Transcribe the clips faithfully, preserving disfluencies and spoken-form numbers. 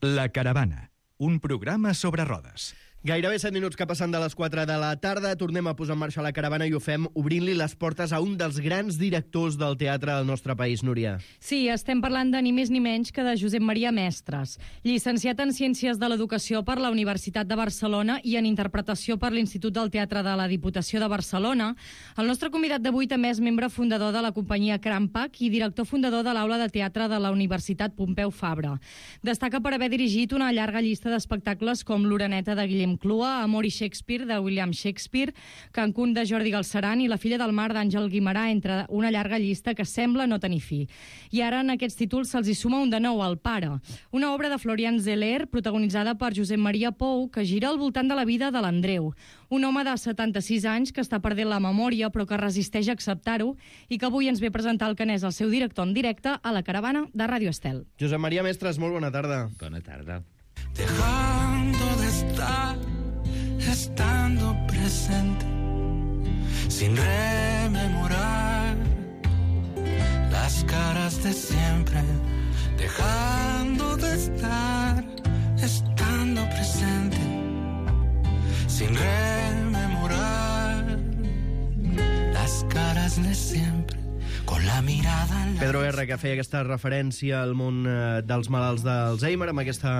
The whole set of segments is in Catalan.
La Caravana, un programa sobre rodes. Gairebé set minuts que passen de les quatre de la tarda. Tornem a posar en marxa la Caravana i ho fem obrint-li les portes a un dels grans directors del teatre del nostre país, Núria. Sí, estem parlant de ni més ni menys que de Josep Maria Mestres, llicenciat en Ciències de l'Educació per la Universitat de Barcelona i en Interpretació per l'Institut del Teatre de la Diputació de Barcelona. El nostre convidat d'avui també és membre fundador de la companyia Crampac i director fundador de l'Aula de Teatre de la Universitat Pompeu Fabra. Destaca per haver dirigit una llarga llista d'espectacles com L'Oreneta de Guillem Clua, Amor i Shakespeare de William Shakespeare, Cancún de Jordi Galceran i La filla del mar d'Àngel Guimerà, entre una llarga llista que sembla no tenir fi. I ara en aquests títols se'ls hi suma un de nou, El pare, una obra de Florian Zeller protagonitzada per Josep Maria Pou que gira al voltant de la vida de l'Andreu, un home de setanta-sis anys que està perdent la memòria però que resisteix a acceptar-ho i que avui ens ve a presentar el que n'és el seu director en directe a la Caravana de Ràdio Estel. Josep Maria Mestres, molt bona tarda. Bona tarda. Dejando de estar, estando presente, sin rememorar las caras de siempre. Dejando de estar, estando presente, sin rememorar las caras de siempre. Con la mirada en la... Pedro Guerra, que feia aquesta referència al món eh, dels malalts d'Alzheimer amb aquesta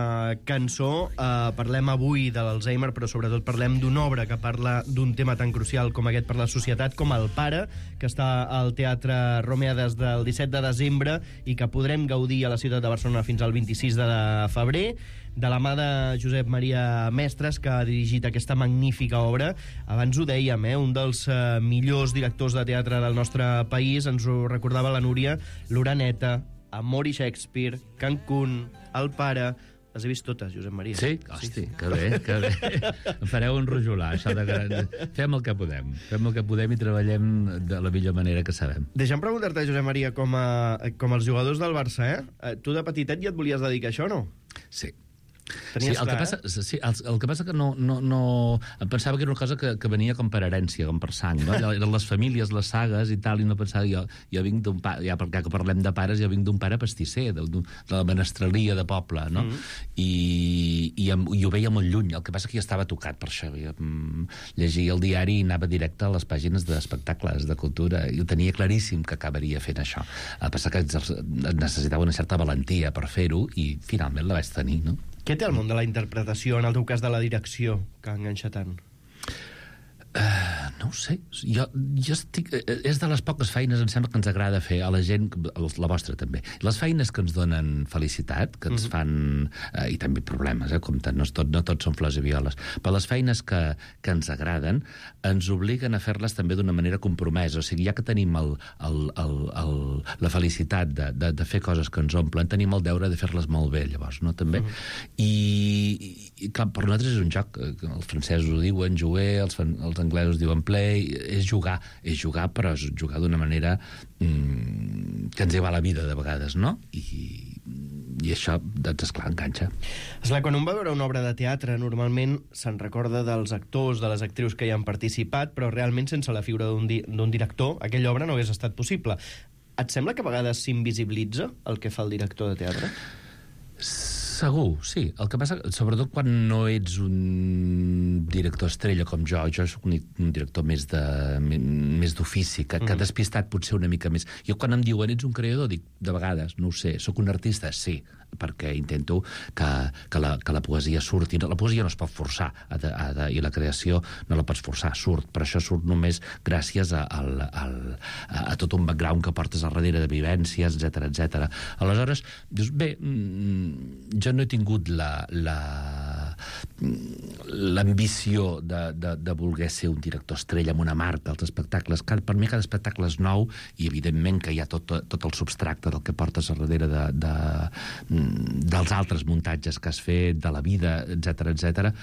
cançó. Eh, parlem avui de l'Alzheimer, però sobretot parlem d'una obra que parla d'un tema tan crucial com aquest per la societat, com El pare, que està al Teatre Romea des del disset de desembre i que podrem gaudir a la ciutat de Barcelona fins al vint-i-sis de febrer, de la mà de Josep Maria Mestres, que ha dirigit aquesta magnífica obra. Abans ho dèiem, eh? un dels eh, millors directors de teatre del nostre país. Ens ho recordava la Núria. L'Oreneta, Amor i Shakespeare, Cancún, El pare... Les he vist totes, Josep Maria. Sí? Hosti, sí. que bé, que bé. Em fareu enrojolar, això de que... Fem el que podem. Fem el que podem i treballem de la millor manera que sabem. Deixa'm preguntar-te, Josep Maria, com, a, com els jugadors del Barça, eh? Tu de petitet ja et volies dedicar a això, no? Sí. Tenies sí, el, clar, que passa, sí, el, el que passa que no, no, no... Em pensava que era una cosa que, que venia com per herència, com per sang, no? Eren les famílies, les sagues i tal, i no pensava... Jo, jo vinc d'un pare, ja perquè que parlem de pares, jo vinc d'un pare pastisser, de, de la menestralia de poble, no? Mm -hmm. I, i, em, i ho veia molt lluny. El que passa que jo estava tocat per això. Jo, mm, llegia el diari i anava directe a les pàgines d'espectacles, de cultura, i ho tenia claríssim que acabaria fent això. El que passa que necessitava una certa valentia per fer-ho i finalment la vaig tenir, no? Què té el món de la interpretació, en el teu cas de la direcció, que enganxa tant? Uh, no ho sé, jo, jo estic, és de les poques feines em sembla que ens agrada fer a la gent, la vostra també, les feines que ens donen felicitat, que ens uh -huh. fan uh, i també problemes, eh, compte, no tot, no tot són flors i violes, però les feines que, que ens agraden ens obliguen a fer-les també d'una manera compromesa, o sigui, ja que tenim el, el, el, el, la felicitat de, de, de fer coses que ens omplen, tenim el deure de fer-les molt bé, llavors, no, també? Uh -huh. I, i clar, per nosaltres és un joc, els francesos ho diuen jouer, els, els anglesos diuen play, és jugar, és jugar, però és jugar d'una manera mmm, que ens hi va la vida de vegades, no? I, i això, doncs, esclar, enganxa. Esclar, quan un va veure una obra de teatre, normalment se'n recorda dels actors, de les actrius que hi han participat, però realment sense la figura d'un di d'un director, aquella obra no hagués estat possible. Et sembla que a vegades s'invisibilitza el que fa el director de teatre? Segur, sí. El que passa, sobretot quan no ets un director estrella com jo, jo soc un, un director més de més d'ofici, que, que ha despistat potser una mica més. Jo quan em diuen ets un creador, dic, de vegades, no ho sé, soc un artista? Sí, perquè intento que, que, la, que la poesia surti. La poesia no es pot forçar, ha de, ha de, i la creació no la pots forçar, surt. Per això surt només gràcies a, a, a, a tot un background que portes al darrere de vivències, etcètera, etcètera. Aleshores, dius, bé, jo no he tingut la la l'ambició de, de, de voler ser un director estrella amb una marca als espectacles. Per mi cada espectacle és nou i evidentment que hi ha tot, tot el substracte del que portes a darrere de, de, dels altres muntatges que has fet, de la vida, etcètera, etcètera.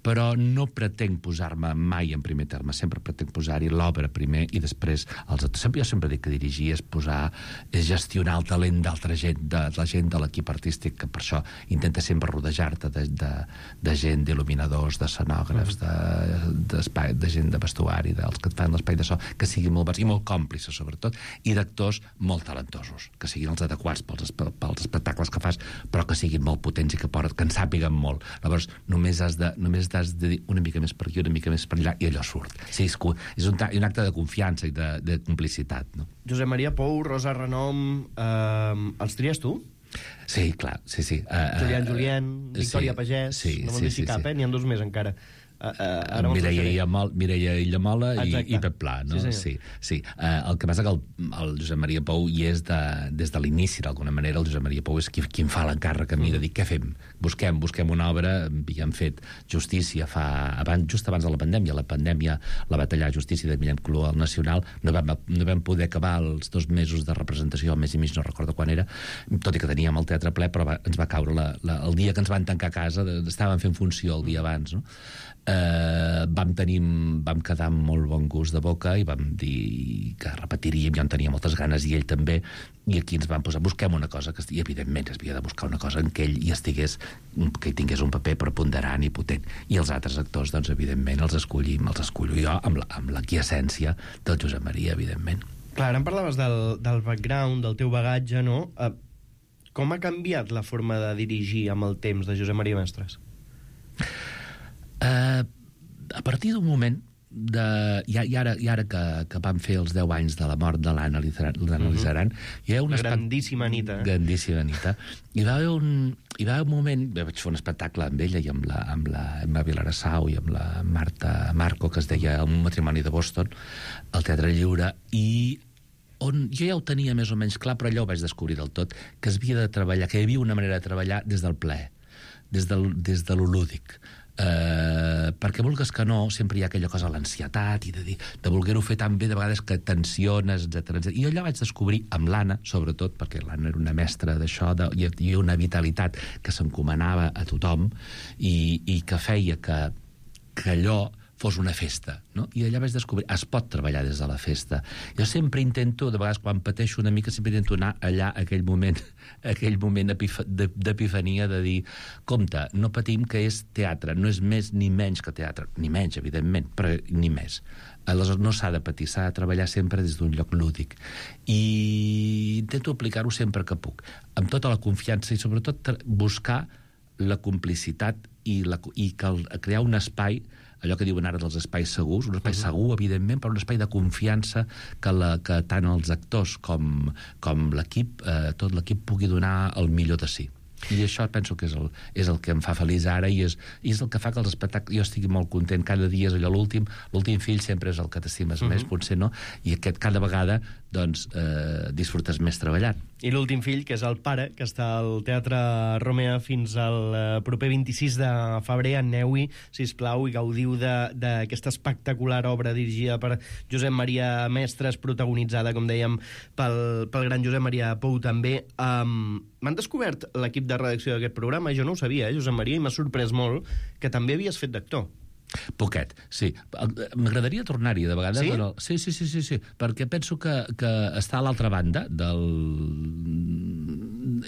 però no pretenc posar-me mai en primer terme, sempre pretenc posar-hi l'obra primer i després els altres. Sempre, jo sempre dic que dirigir és posar, és gestionar el talent d'altra gent, de, de la gent de l'equip artístic, que per això intenta sempre rodejar-te de, de, de gent, d'il·luminadors, d'escenògrafs, de, de, de gent de vestuari, dels que et fan l'espai de so, que siguin molt bons i molt còmplices, sobretot, i d'actors molt talentosos, que siguin els adequats pels, pels espectacles que fas, però que siguin molt potents i que, poden, que en sàpiguen molt. Llavors, només has, de, només has de dir una mica més per aquí, una mica més per allà, i allò surt. Sí, és, és un, un acte de confiança i de, de complicitat, no? Josep Maria Pou, Rosa Renom, eh, els tries tu? Sí, clar, sí, sí. Uh, Julián Julián, Victòria sí, Pagès, sí, no me'n sí, deixi sí, cap, sí. eh? N'hi ha dos més encara. Uh, uh, Mireia Illamola, Mireia Illamola i, i Pep Pla, no? Sí, sí, sí. Uh, el que passa que el, el Josep Maria Pou hi és de, des de l'inici, d'alguna manera. El Josep Maria Pou és qui, qui em fa l'encàrrec a mi de dir què fem. Busquem, busquem una obra, havíem fet Justícia fa, abans, just abans de la pandèmia. La pandèmia la va tallar Justícia de Millán Clua al Nacional. No vam, no vam poder acabar els dos mesos de representació, el mes i mig, no recordo quan era, tot i que teníem el teatre ple, però va, ens va caure la, la, el dia que ens van tancar a casa, de, estàvem fent funció el dia abans, no? Eh, vam tenir, vam quedar amb molt bon gust de boca i vam dir que repetiríem, jo en tenia moltes ganes i ell també, i aquí ens vam posar, busquem una cosa que, i evidentment es havia de buscar una cosa en què ell hi estigués, que hi tingués un paper preponderant i potent, i els altres actors, doncs evidentment els escollim, els escollo jo amb la, amb la quiescència del Josep Maria, evidentment. Clar, ara em parlaves del, del background, del teu bagatge, no? Uh, com ha canviat la forma de dirigir amb el temps de Josep Maria Mestres? Uh, a partir d'un moment de, i, i ara, i ara que, que vam fer els deu anys de la mort de l'Anna Lizaran, hi ha una grandíssima Anita, eh? grandíssima Anita, hi va haver un hi va haver un moment, vaig fer un espectacle amb ella i amb la, amb la Emma Vilarassau i amb la Marta Marco, que es deia Un matrimoni de Boston, al Teatre Lliure, i on jo ja ho tenia més o menys clar, però allò ho vaig descobrir del tot, que es havia de treballar, que hi havia una manera de treballar des del plaer, des, del, des de lo lúdic. Uh, perquè vulgues que no, sempre hi ha aquella cosa, l'ansietat i de, dir, de voler-ho fer tan bé de vegades que tensiones, etcètera, etcètera. I allò vaig descobrir amb l'Anna, sobretot, perquè l'Anna era una mestra d'això, de, i hi havia una vitalitat que s'encomanava a tothom i, i que feia que, que allò fos una festa, no? I allà vaig descobrir, es pot treballar des de la festa. Jo sempre intento, de vegades quan pateixo una mica, sempre intento anar allà, a aquell moment, a aquell moment d'epifania, de dir, compte, no patim que és teatre, no és més ni menys que teatre, ni menys, evidentment, però ni més. Aleshores, no s'ha de patir, s'ha de treballar sempre des d'un lloc lúdic. I intento aplicar-ho sempre que puc, amb tota la confiança i sobretot buscar la complicitat i, la, i que el, crear un espai, allò que diuen ara dels espais segurs, un espai uh-huh. segur, evidentment, però un espai de confiança que, la, que tant els actors com, com l'equip, eh, tot l'equip pugui donar el millor de si. I això penso que és el, és el que em fa feliç ara i és, i és el que fa que els espectacles jo estigui molt content. Cada dia és allò l'últim, l'últim fill sempre és el que t'estimes uh-huh. més, potser no, i aquest cada vegada doncs eh, disfrutes més treballant. I l'últim fill, que és el pare, que està al Teatre Romea fins al eh, proper vint-i-sis de febrer. Aneu-hi, sisplau, i gaudiu d'aquesta espectacular obra dirigida per Josep Maria Mestres, protagonitzada, com dèiem, pel, pel gran Josep Maria Pou també. Um, M'han descobert l'equip de redacció d'aquest programa, jo no ho sabia, eh, Josep Maria, i m'ha sorprès molt que també havies fet d'actor. Poquet, sí. M'agradaria tornar-hi de vegades. Sí? Però... Sí, sí, sí, sí, sí, perquè penso que, que està a l'altra banda del...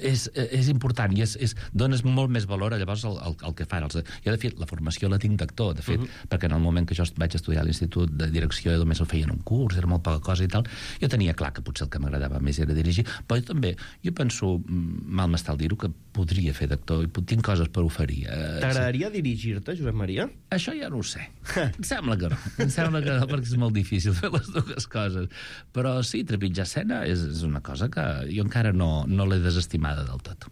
És, és important i és, és, dones molt més valor a llavors el, el, el que fan. Els... Jo, de fet, la formació la tinc d'actor, de fet, uh -huh. perquè en el moment que jo vaig estudiar a l'Institut de Direcció només el feien un curs, era molt poca cosa i tal, jo tenia clar que potser el que m'agradava més era dirigir, però jo també, jo penso, mal m'està el dir-ho, que podria fer d'actor i tinc coses per oferir. T'agradaria sí. dirigir-te, Josep Maria? Això ja no ho sé. Em sembla que no. Em sembla que no, perquè és molt difícil fer les dues coses. Però sí, trepitjar escena és, és una cosa que jo encara no, no l'he desestimada del tot.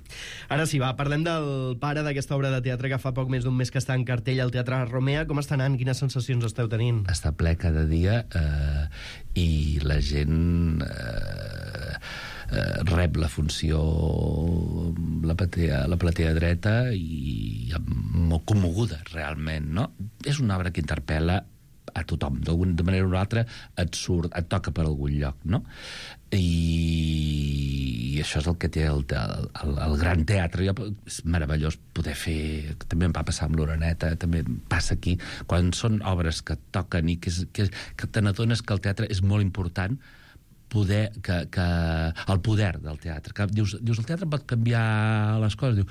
Ara sí, va, parlem del pare d'aquesta obra de teatre que fa poc més d'un mes que està en cartell al Teatre Romea. Com està anant? Quines sensacions esteu tenint? Està ple cada dia eh, i la gent... Eh, Eh, rep la funció la platea, la platea dreta i molt commoguda realment, no? És una obra que interpel·la a tothom, d'alguna manera o una altra et surt, et toca per algun lloc, no? I, i això és el que té el, el, el, el gran teatre. És meravellós poder fer, també em va passar amb l'Oreneta, també passa aquí, quan són obres que toquen i que, és, que, que te n'adones que el teatre és molt important, poder, que, que, el poder del teatre. Que dius, dius, el teatre pot canviar les coses. Diu,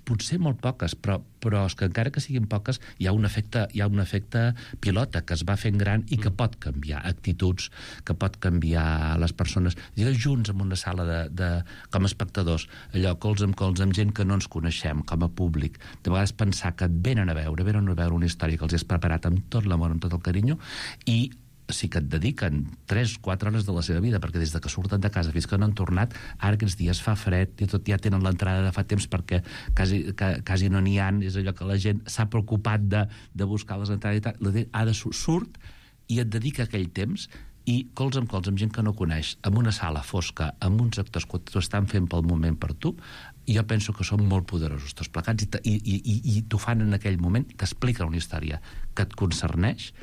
potser molt poques, però, però és que encara que siguin poques, hi ha un efecte, hi ha un efecte pilota que es va fent gran i que pot canviar actituds, que pot canviar les persones. Digues junts en una sala de, de, com a espectadors, allò, cols amb cols, amb gent que no ens coneixem, com a públic. De vegades pensar que et venen a veure, venen a veure una història que els has preparat amb tot l'amor, amb tot el carinyo, i sí que et dediquen tres quatre hores de la seva vida, perquè des de que surten de casa fins que no han tornat, ara aquests dies fa fred i tot ja tenen l'entrada de fa temps perquè quasi, que, quasi no n'hi ha, és allò que la gent s'ha preocupat de, de buscar les entrades i tal, la gent ha de surt i et dedica aquell temps i cols amb cols amb gent que no coneix, amb una sala fosca, amb uns actors que t'ho estan fent pel moment per tu, i jo penso que són molt poderosos tots plegats i, i, i, i t'ho fan en aquell moment, t'expliquen una història que et concerneix,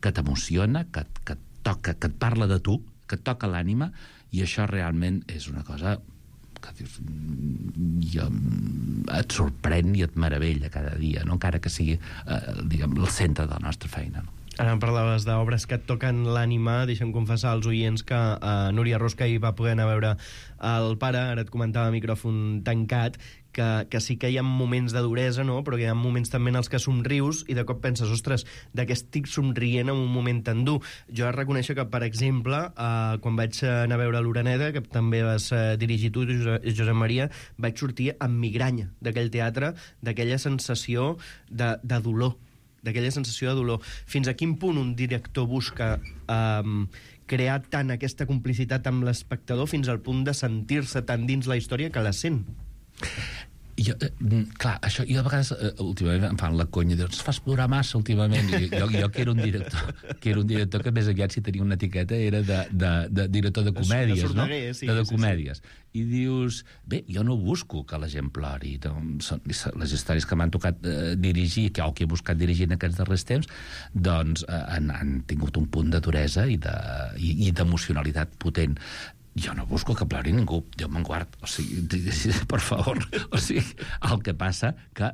que t'emociona, que, que et toca, que et parla de tu, que et toca l'ànima, i això realment és una cosa que dius, jo, et sorprèn i et meravella cada dia, no? Encara que sigui eh, diguem, el centre de la nostra feina, no? Ara em parlaves d'obres que et toquen l'ànima. Deixa'm confessar als oients que eh, Núria Rosca hi va poder anar a veure el pare, ara et comentava a micròfon tancat, que, que sí que hi ha moments de duresa, no? Però hi ha moments també en els que somrius i de cop penses, ostres, de què estic somrient en un moment tan dur? Jo he de reconèixer que, per exemple, eh, quan vaig anar a veure l'Oreneta, que també vas eh, dirigir tu, Josep Maria, vaig sortir amb migranya d'aquell teatre, d'aquella sensació de, de dolor, d'aquella sensació de dolor. Fins a quin punt un director busca um, crear tant aquesta complicitat amb l'espectador fins al punt de sentir-se tan dins la història que la sent? Jo, eh, clar, això, jo a vegades eh, últimament em fan la conya, dius, ens fas plorar massa últimament, i jo, jo que era un director que era un director que més aviat si tenia una etiqueta era de, de, de director de comèdies, de no? Sí, de, de sí, comèdies. Sí. I dius, bé, jo no busco que la gent plori, doncs, les històries que m'han tocat eh, dirigir, que, o que he buscat dirigir en aquests darrers temps, doncs eh, han, han tingut un punt de duresa i d'emocionalitat potent. Jo no busco que plori ningú, Déu me'n guard, o sigui, per favor, o sigui, el que passa que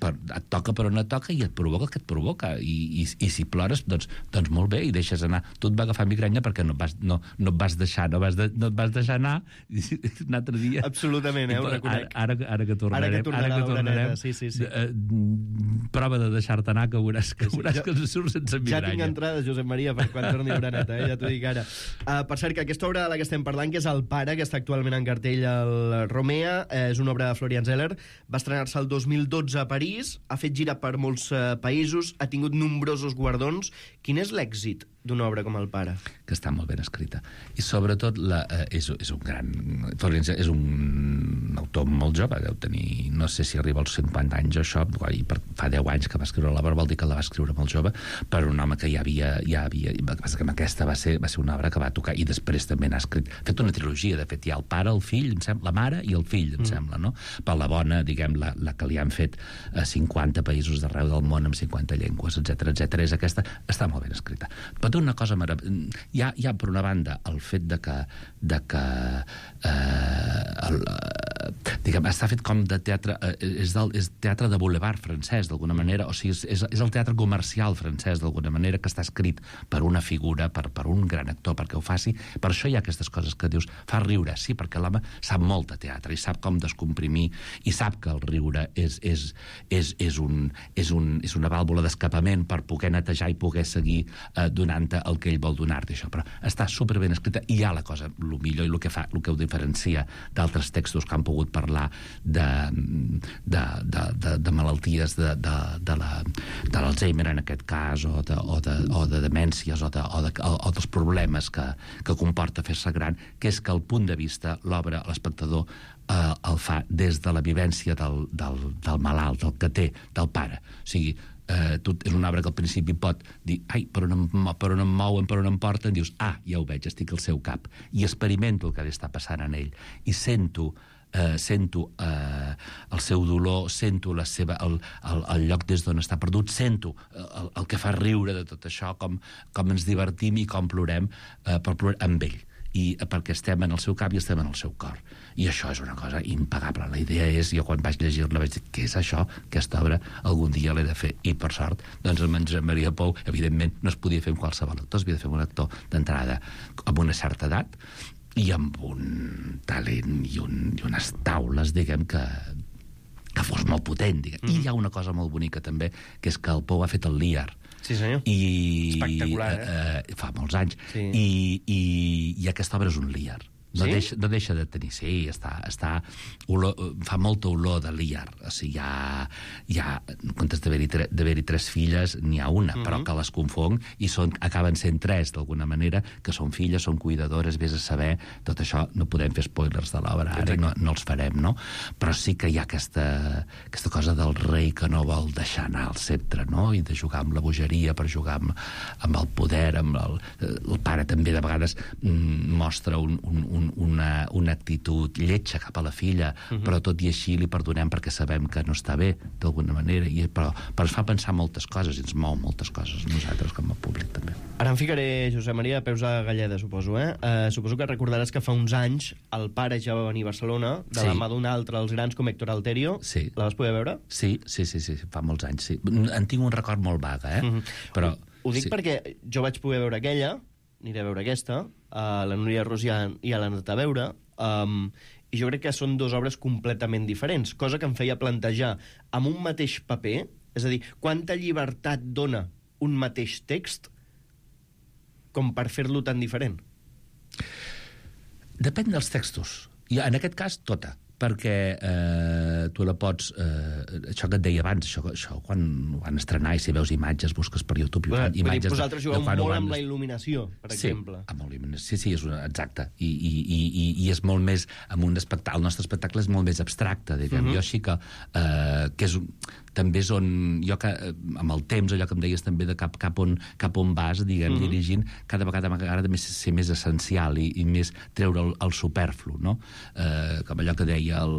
per, et toca per on et toca i et provoca el que et provoca, i, i, i si plores, doncs, doncs molt bé, i deixes anar. Tu et va agafar migranya perquè no et vas, no, no et vas deixar no, vas de, no et vas deixar anar un altre dia. Absolutament, eh, ho reconec. Ara, ara, ara que tornarem, ara que, ara que tornarem sí, sí, sí. Eh, prova de deixar-te anar, que veuràs que, veuràs sí, sí. que ens surt sense migranya. Ja tinc entrades, Josep Maria, per quan torni l'Oreneta, eh? Ja t'ho dic ara. Uh, per cert, que aquesta obra de la que estem parlant, que és El pare, que està actualment en cartell al Romea, eh, és una obra de Florian Zeller, va estrenar-se el dos mil dotze a París, ha fet gira per molts uh, països, ha tingut nombrosos guardons. Quin és l'èxit d'una obra com El pare? Que està molt ben escrita. I sobretot la, eh, és, és un gran... Florian Zeller és un autor molt jove, deu tenir, no sé si arriba als cinquanta anys o això, i per, fa deu anys que va escriure l'obra, vol dir que la va escriure molt jove, per un home que ja havia... Ja havia el que passa que amb aquesta va ser, va ser una obra que va tocar, i després també n'ha escrit... Ha fet una trilogia, de fet, hi ha el pare, el fill, em sembla, la mare i el fill, em mm. sembla, no? Per la bona, diguem, la, la que li han fet a cinquanta països d'arreu del món amb cinquanta llengües, etcètera, etcètera. És aquesta, està molt ben escrita. Però té una cosa meravellosa. Hi ha, hi ha, per una banda, el fet de que, de que eh, el, diguem, està fet com de teatre, eh, és, del, és teatre de boulevard francès, d'alguna manera, o sigui, és, és el teatre comercial francès, d'alguna manera, que està escrit per una figura, per, per un gran actor, perquè ho faci. Per això hi ha aquestes coses que dius, fa riure, sí, perquè l'home sap molt de teatre i sap com descomprimir, i sap que el riure és, és, és, és, un, és, un, és una vàlvula d'escapament per poder netejar i poder seguir eh, donant-te el que ell vol donar-te, això. Però està superben escrita, i hi ha la cosa, el millor i el que fa, el que ho diferencia d'altres textos que han pogut parlar de, de, de, de, de malalties de, de, de l'Alzheimer, en aquest cas, o de, o de, o de demències, o, de, o, de, o, o dels problemes que, que comporta fer-se gran, que és que el punt de vista, l'obra, l'espectador, eh, el fa des de la vivència del, del, del malalt, del que té, del pare. O sigui, eh, tot és una obra que al principi pot dir, ai, per on, em, per on em mouen, per on em porten, dius, ah, ja ho veig, estic al seu cap, i experimento el que li està passant en ell, i sento eh, sento eh, el seu dolor, sento la seva, el, el, el lloc des d'on està perdut, sento el, el que fa riure de tot això, com, com ens divertim i com plorem, eh, per plorar amb ell. I perquè estem en el seu cap i estem en el seu cor. I això és una cosa impagable. La idea és, jo quan vaig llegir-la vaig dir, què és això? Aquesta obra algun dia l'he de fer. I per sort, doncs el Josep Maria Pou, evidentment, no es podia fer amb qualsevol actor, es havia de fer amb un actor d'entrada amb una certa edat i amb un talent i, un, i unes taules, diguem, que, que fos molt potent, diguem. Mm. I hi ha una cosa molt bonica també, que és que el Pou ha fet el Lear. Sí, senyor. I, espectacular, eh? eh? Fa molts anys. Sí. I, i, I aquesta obra és un Lear. No, sí? deixa, no deixa de tenir... Sí, està, està olor, fa molta olor de Lear. O sigui, hi ha... Hi ha en comptes d'haver-hi tre, tres filles, n'hi ha una, mm-hmm. però que les confong i són, acaben sent tres, d'alguna manera, que són filles, són cuidadores, vés a saber... Tot això no podem fer spoilers de l'obra, ara no, no els farem, no? Però sí que hi ha aquesta, aquesta cosa del rei que no vol deixar anar el sceptre, no? I de jugar amb la bogeria per jugar amb, amb el poder, amb el... El pare també, de vegades, mm, mostra un, un, un Una, una actitud lletja cap a la filla, uh-huh. però tot i així li perdonem perquè sabem que no està bé, d'alguna manera, i, però, però ens fa pensar moltes coses i ens mou moltes coses, nosaltres com a públic també. Ara em ficaré, Josep Maria, a peus de galleda, suposo, eh? Uh, suposo que recordaràs que fa uns anys el pare ja va venir a Barcelona, de sí. la mà d'un altre, els grans com Héctor Alterio. Sí. La vas poder veure? Sí, sí, sí, sí, fa molts anys, sí. En tinc un record molt vaga, eh? Uh-huh. Però, ho, ho dic sí. perquè jo vaig poder veure aquella, aniré a veure aquesta, a la Núria Rosià i a l'Anat a veure, um, i jo crec que són dues obres completament diferents, cosa que em feia plantejar amb un mateix paper, és a dir, quanta llibertat dona un mateix text com per fer-lo tan diferent? Depèn dels textos. I en aquest cas, tota. Perquè eh, tu la pots... Eh, això que et deia abans, això, això quan van estrenar i si veus imatges, busques per YouTube... Bueno, imatges vosaltres jugueu molt van... amb la il·luminació, per sí, exemple. Amb la il·luminació. Sí, sí, és una, exacte. I, i, i, I és molt més... Amb un espectacle, el nostre espectacle és molt més abstracte, diguem. Uh-huh. Jo així que... Eh, que és, també és on... Jo que, amb el temps, allò que em deies també de cap, cap, on, cap on vas, diguem, uh-huh. dirigint, cada vegada m'agrada més ser més essencial i, i més treure el, el superflu, no? Eh, com allò que deia el,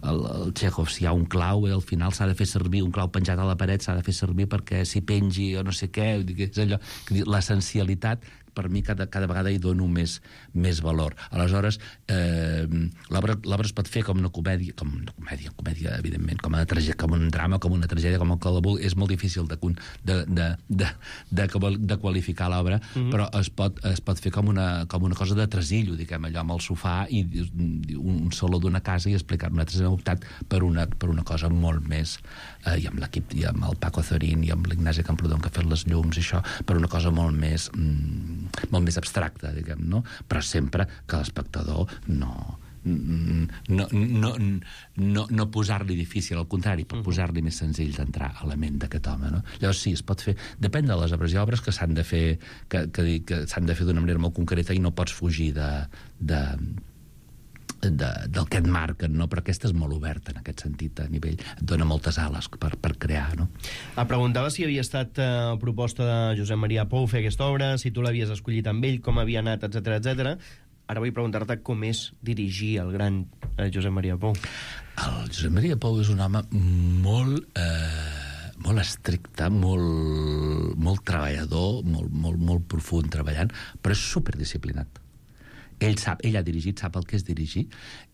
el, el Chekhov, si hi ha un clau, eh, al final s'ha de fer servir, un clau penjat a la paret s'ha de fer servir perquè s'hi pengi o no sé què, és allò, l'essencialitat, per mi cada, cada vegada hi dono més, més valor. Aleshores, eh, l'obra es pot fer com una comèdia, com una comèdia, comèdia evidentment, com, una tragèdia, com un drama, com una tragèdia, com el que la vulgui. És molt difícil de, de, de, de, de, de qualificar l'obra, mm-hmm. però es pot, es pot fer com una, com una cosa de tresillo, diguem, allò amb el sofà i un, un saló d'una casa i explicar. Nosaltres hem optat per una, per una cosa molt més, eh, i amb l'equip, i amb el Paco Zorín, i amb l'Ignasi Camprodon, que ha fet les llums i això, per una cosa molt més... Mm, molt més abstracta, diguem, no? Però sempre que l'espectador no... no, no, no, no posar-li difícil, al contrari, per posar-li més senzill d'entrar a la ment d'aquest home, no? Llavors sí, es pot fer, depèn de les obres. Hi ha obres que s'han de fer que, que, que s'han de fer d'una manera molt concreta i no pots fugir de, de, de, del que et marquen, no? Però aquesta és molt oberta en aquest sentit, a nivell, et dona moltes ales per, per crear, no? Ah, preguntava si havia estat eh, proposta de Josep Maria Pou fer aquesta obra, si tu l'havies escollit amb ell, com havia anat, etcètera, etcètera. Ara vull preguntar-te com és dirigir el gran eh, Josep Maria Pou. El Josep Maria Pou és un home molt... Eh... molt estricte, molt, molt treballador, molt, molt, molt profund treballant, però és superdisciplinat. Ell sap, ell ha dirigit, sap el que és dirigir,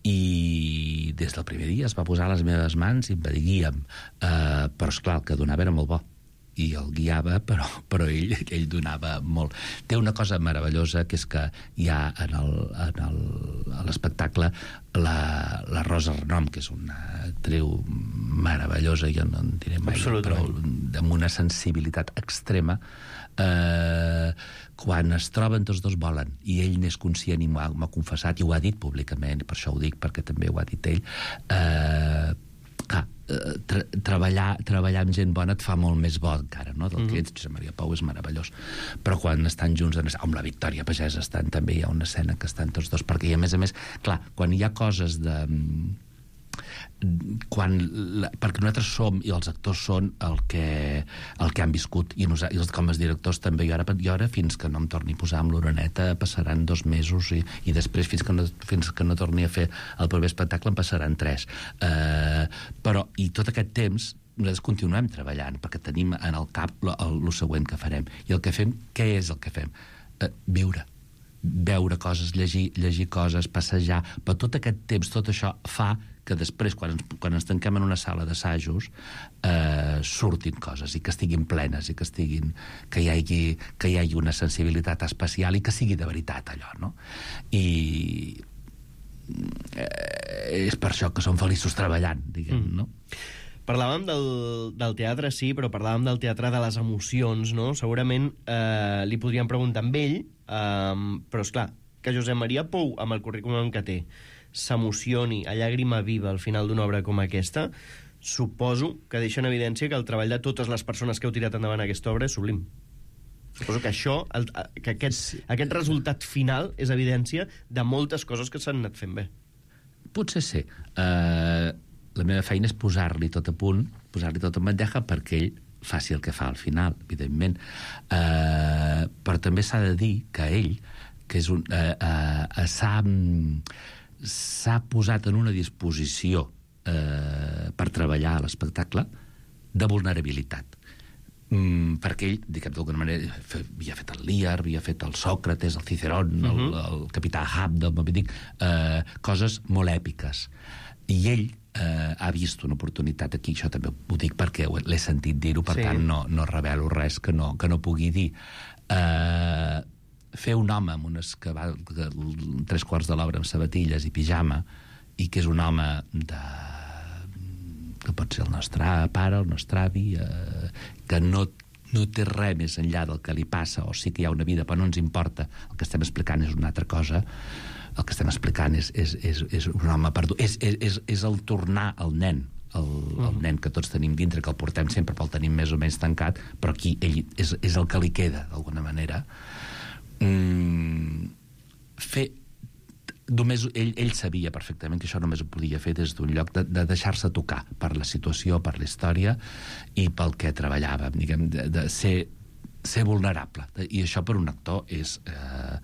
i des del primer dia es va posar a les meves mans i em va dir guia'm. Uh, però, esclar, el que donava era molt bo. I el guiava, però, però ell, ell donava molt. Té una cosa meravellosa, que és que hi ha en el, en el, a l'espectacle la, la Rosa Renom, que és una actriu meravellosa, jo no en diré mai, però amb una sensibilitat extrema. Eh, quan es troben tots dos volen, i ell n'és conscient i m'ha confessat, i ho ha dit públicament, per això ho dic, perquè també ho ha dit ell, eh, clar, tra treballar, treballar amb gent bona et fa molt més bo encara, no? Del que ets. Josep Maria Pou és meravellós, però quan estan junts en... amb la Victòria Pagès estan, també hi ha una escena que estan tots dos, perquè i a més a més, clar, quan hi ha coses de quan, la, perquè nosaltres som i els actors són el que, el que han viscut i, nosaltres, i els, com els directors també jo ara, jo ara fins que no em torni a posar amb l'oreneta passaran dos mesos i, i després fins que, no, fins que no torni a fer el proper espectacle en passaran tres uh, però i tot aquest temps nosaltres continuem treballant perquè tenim en el cap el següent que farem i el que fem, què és el que fem? Uh, viure veure coses, llegir, llegir coses, passejar, però tot aquest temps, tot això fa que després, quan ens, quan ens tanquem en una sala d'assajos, eh, surtin coses i que estiguin plenes i que estiguin, que hi hagi, que hi hagi una sensibilitat especial i que sigui de veritat allò, no? I eh, és per això que som feliços treballant, diguem, mm. no? Parlàvem del, del teatre, sí, però parlàvem del teatre de les emocions, no? Segurament eh, li podríem preguntar amb ell, eh, però, esclar, que Josep Maria Pou, amb el currículum que té, s'emocioni a llàgrima viva al final d'una obra com aquesta, suposo que deixa en evidència que el treball de totes les persones que heu tirat endavant aquesta obra és sublim. Suposo que això, el, que aquest, sí. aquest resultat final és evidència de moltes coses que s'han anat fent bé. Potser sí. Uh, la meva feina és posar-li tot a punt, posar-li tot en bandeja perquè ell faci el que fa al final, evidentment. Uh, però també s'ha de dir que ell, que és un, uh, uh, s'ha, s'ha posat en una disposició uh, per treballar a l'espectacle de vulnerabilitat. Mm, perquè ell, diguem d'alguna manera, havia fet el Lear, havia fet el Sòcrates, el Cicerón, uh-huh. el, el capità Ahab del Moby Dick, uh, coses molt èpiques. I ell eh, ha vist una oportunitat aquí, això també ho dic perquè l'he sentit dir-ho, per sí. tant no, no revelo res que no, que no pugui dir. Eh, fer un home amb unes que va que, tres quarts de l'obra amb sabatilles i pijama, i que és un home de que pot ser el nostre pare, el nostre avi, eh, que no, no té res més enllà del que li passa, o sí que hi ha una vida, però no ens importa, el que estem explicant és una altra cosa. El que estem explicant és, és, és, és un home perdut. És, és, és el tornar al nen, el, el nen que tots tenim dintre, que el portem sempre, però el tenim més o menys tancat, però aquí ell és, és el que li queda, d'alguna manera. Mm, fer... Només, ell, ell sabia perfectament que això només ho podia fer des d'un lloc de, de deixar-se tocar per la situació, per la història i pel que treballàvem, diguem, de, de ser, ser vulnerable. I això per un actor és... Eh,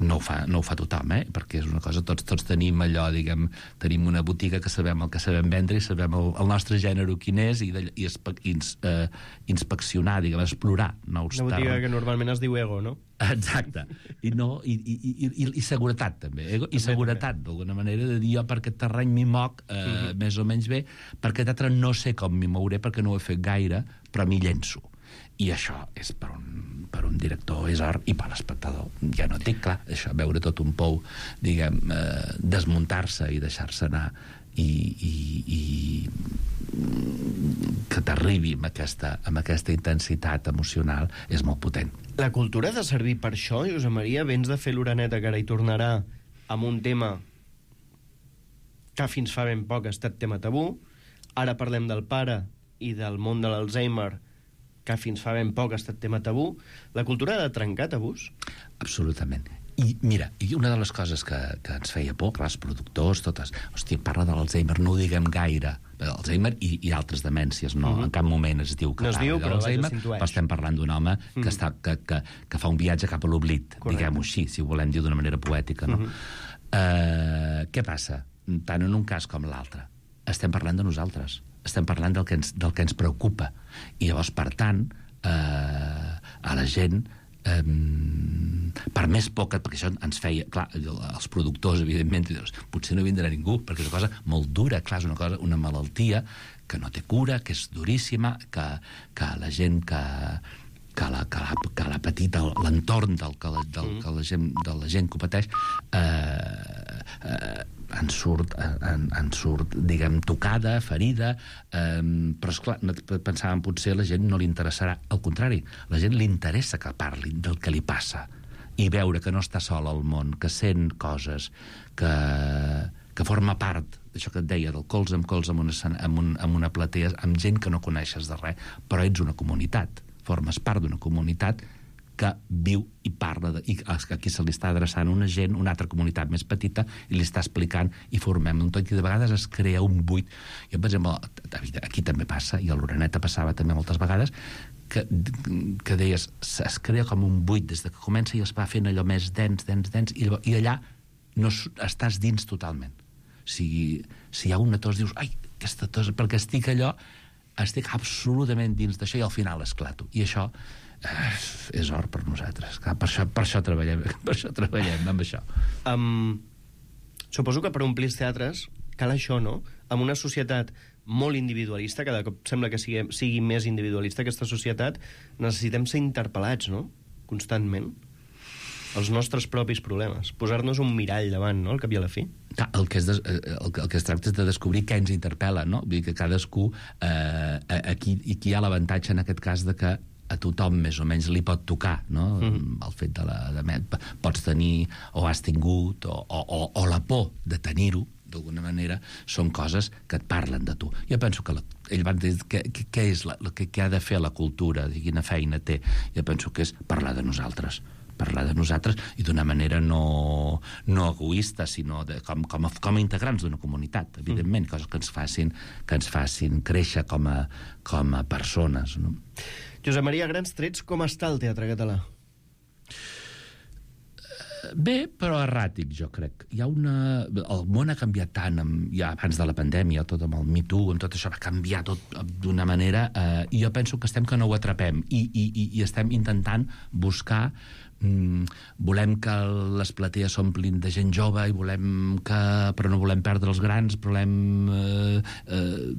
no ho fa, no ho fa tothom, eh? Perquè és una cosa, tots, tots tenim allò, diguem, tenim una botiga que sabem el que sabem vendre i sabem el, el nostre gènere quin és i, de, i espe, ins, eh, inspeccionar, diguem, explorar nous una botiga termes. Que normalment es diu ego, no? Exacte. I, no, i, i, i, i, i seguretat, també. Ego, I seguretat, d'alguna manera, de dir jo per aquest terreny m'hi moc eh, mm-hmm. més o menys bé, per aquest altre no sé com m'hi mouré perquè no ho he fet gaire, però m'hi llenço. I això és per un, per un director és or, i per l'espectador ja no et dic, clar, això, veure tot un pou diguem, eh, desmuntar-se i deixar-se anar i, i, i que t'arribi amb aquesta, amb aquesta intensitat emocional és molt potent. La cultura ha de servir per això, Josep Maria? Vens de fer l'Oreneta, que ara hi tornarà, amb un tema que fins fa ben poc ha estat tema tabú. Ara parlem del pare i del món de l'Alzheimer, que fins fa ben poc ha estat tema tabú. La cultura ha de trencar tabús? Absolutament. I mira, i una de les coses que, que ens feia por, clar, els productors, totes, hòstia, parla de l'Alzheimer, no ho diguem gaire, l'Alzheimer i, i altres demències, no? Uh-huh. En cap moment es diu que no es diu, però l'Alzheimer, però estem parlant d'un home uh-huh. que, està, que, que, que fa un viatge cap a l'oblit, diguem-ho així, si ho volem dir d'una manera poètica, no? Uh-huh. Uh, què passa? Tant en un cas com l'altre, estem parlant de nosaltres, estem parlant del que ens, del que ens preocupa, i llavors, per tant, eh, a la gent, eh, per més poca, perquè això ens feia, clar, els productors, evidentment, dius, potser no vindrà ningú, perquè és una cosa molt dura, clar, és una cosa, una malaltia que no té cura, que és duríssima, que, que la gent que, que la, que la, que la petita, l'entorn del, que la, del, que la gent, de la gent que ho pateix, eh, eh, en surt, en, en surt, diguem, tocada, ferida, eh, però, esclar, pensàvem, potser a la gent no li interessarà. Al contrari, la gent li interessa que parli del que li passa i veure que no està sol al món, que sent coses, que, que forma part d'això que et deia, del colze amb colze amb una, amb, un, amb una platea, amb gent que no coneixes de res, però ets una comunitat, formes part d'una comunitat que viu i parla, de, i aquí se li està adreçant una gent, una altra comunitat més petita, i li està explicant, i formem un tot, i de vegades es crea un buit. Jo, per exemple, aquí també passa, i a l'Oreneta passava també moltes vegades, que, que deies, es crea com un buit des de que comença i es va fent allò més dens, dens, dens, i, i allà no estàs dins totalment. Si, si hi ha una tos, dius, ai, aquesta tos, perquè estic allò, estic absolutament dins d'això i al final esclato. I això eh, és or per nosaltres. Clar, per, això, per això treballem, per això treballem amb això. Um, suposo que per omplir els teatres cal això, no? En una societat molt individualista, cada cop sembla que sigui, sigui més individualista aquesta societat, necessitem ser interpel·lats, no? Constantment. Els nostres propis problemes. Posar-nos un mirall davant, no?, al cap i a la fi. Clar, el que, es des, el, el que es tracta és de descobrir què ens interpel·la, no? Vull dir que cadascú... Eh, aquí, aquí hi ha l'avantatge, en aquest cas, de que a tothom més o menys li pot tocar, no? Mm. El fet de la... De, pots tenir, o has tingut, o, o, o, o la por de tenir-ho, d'alguna manera, són coses que et parlen de tu. Jo penso que la, ell va dir què, què és la, què, què ha de fer la cultura, i quina feina té. Jo penso que és parlar de nosaltres, parlar de nosaltres i d'una manera no, no egoista, sinó de, com, com, a, com a integrants d'una comunitat, evidentment, mm. coses que ens facin, que ens facin créixer com a, com a persones, no? Josep Maria, a grans trets, com està el teatre català? Bé, però erràtic, jo crec. Hi ha una... El món ha canviat tant, amb... ja abans de la pandèmia, tot amb el Me Too, amb tot això, va canviar tot d'una manera, eh, i jo penso que estem que no ho atrapem, i, i, i estem intentant buscar... Mm, volem que les platees s'omplin de gent jove, i volem que... però no volem perdre els grans, volem... Eh, eh,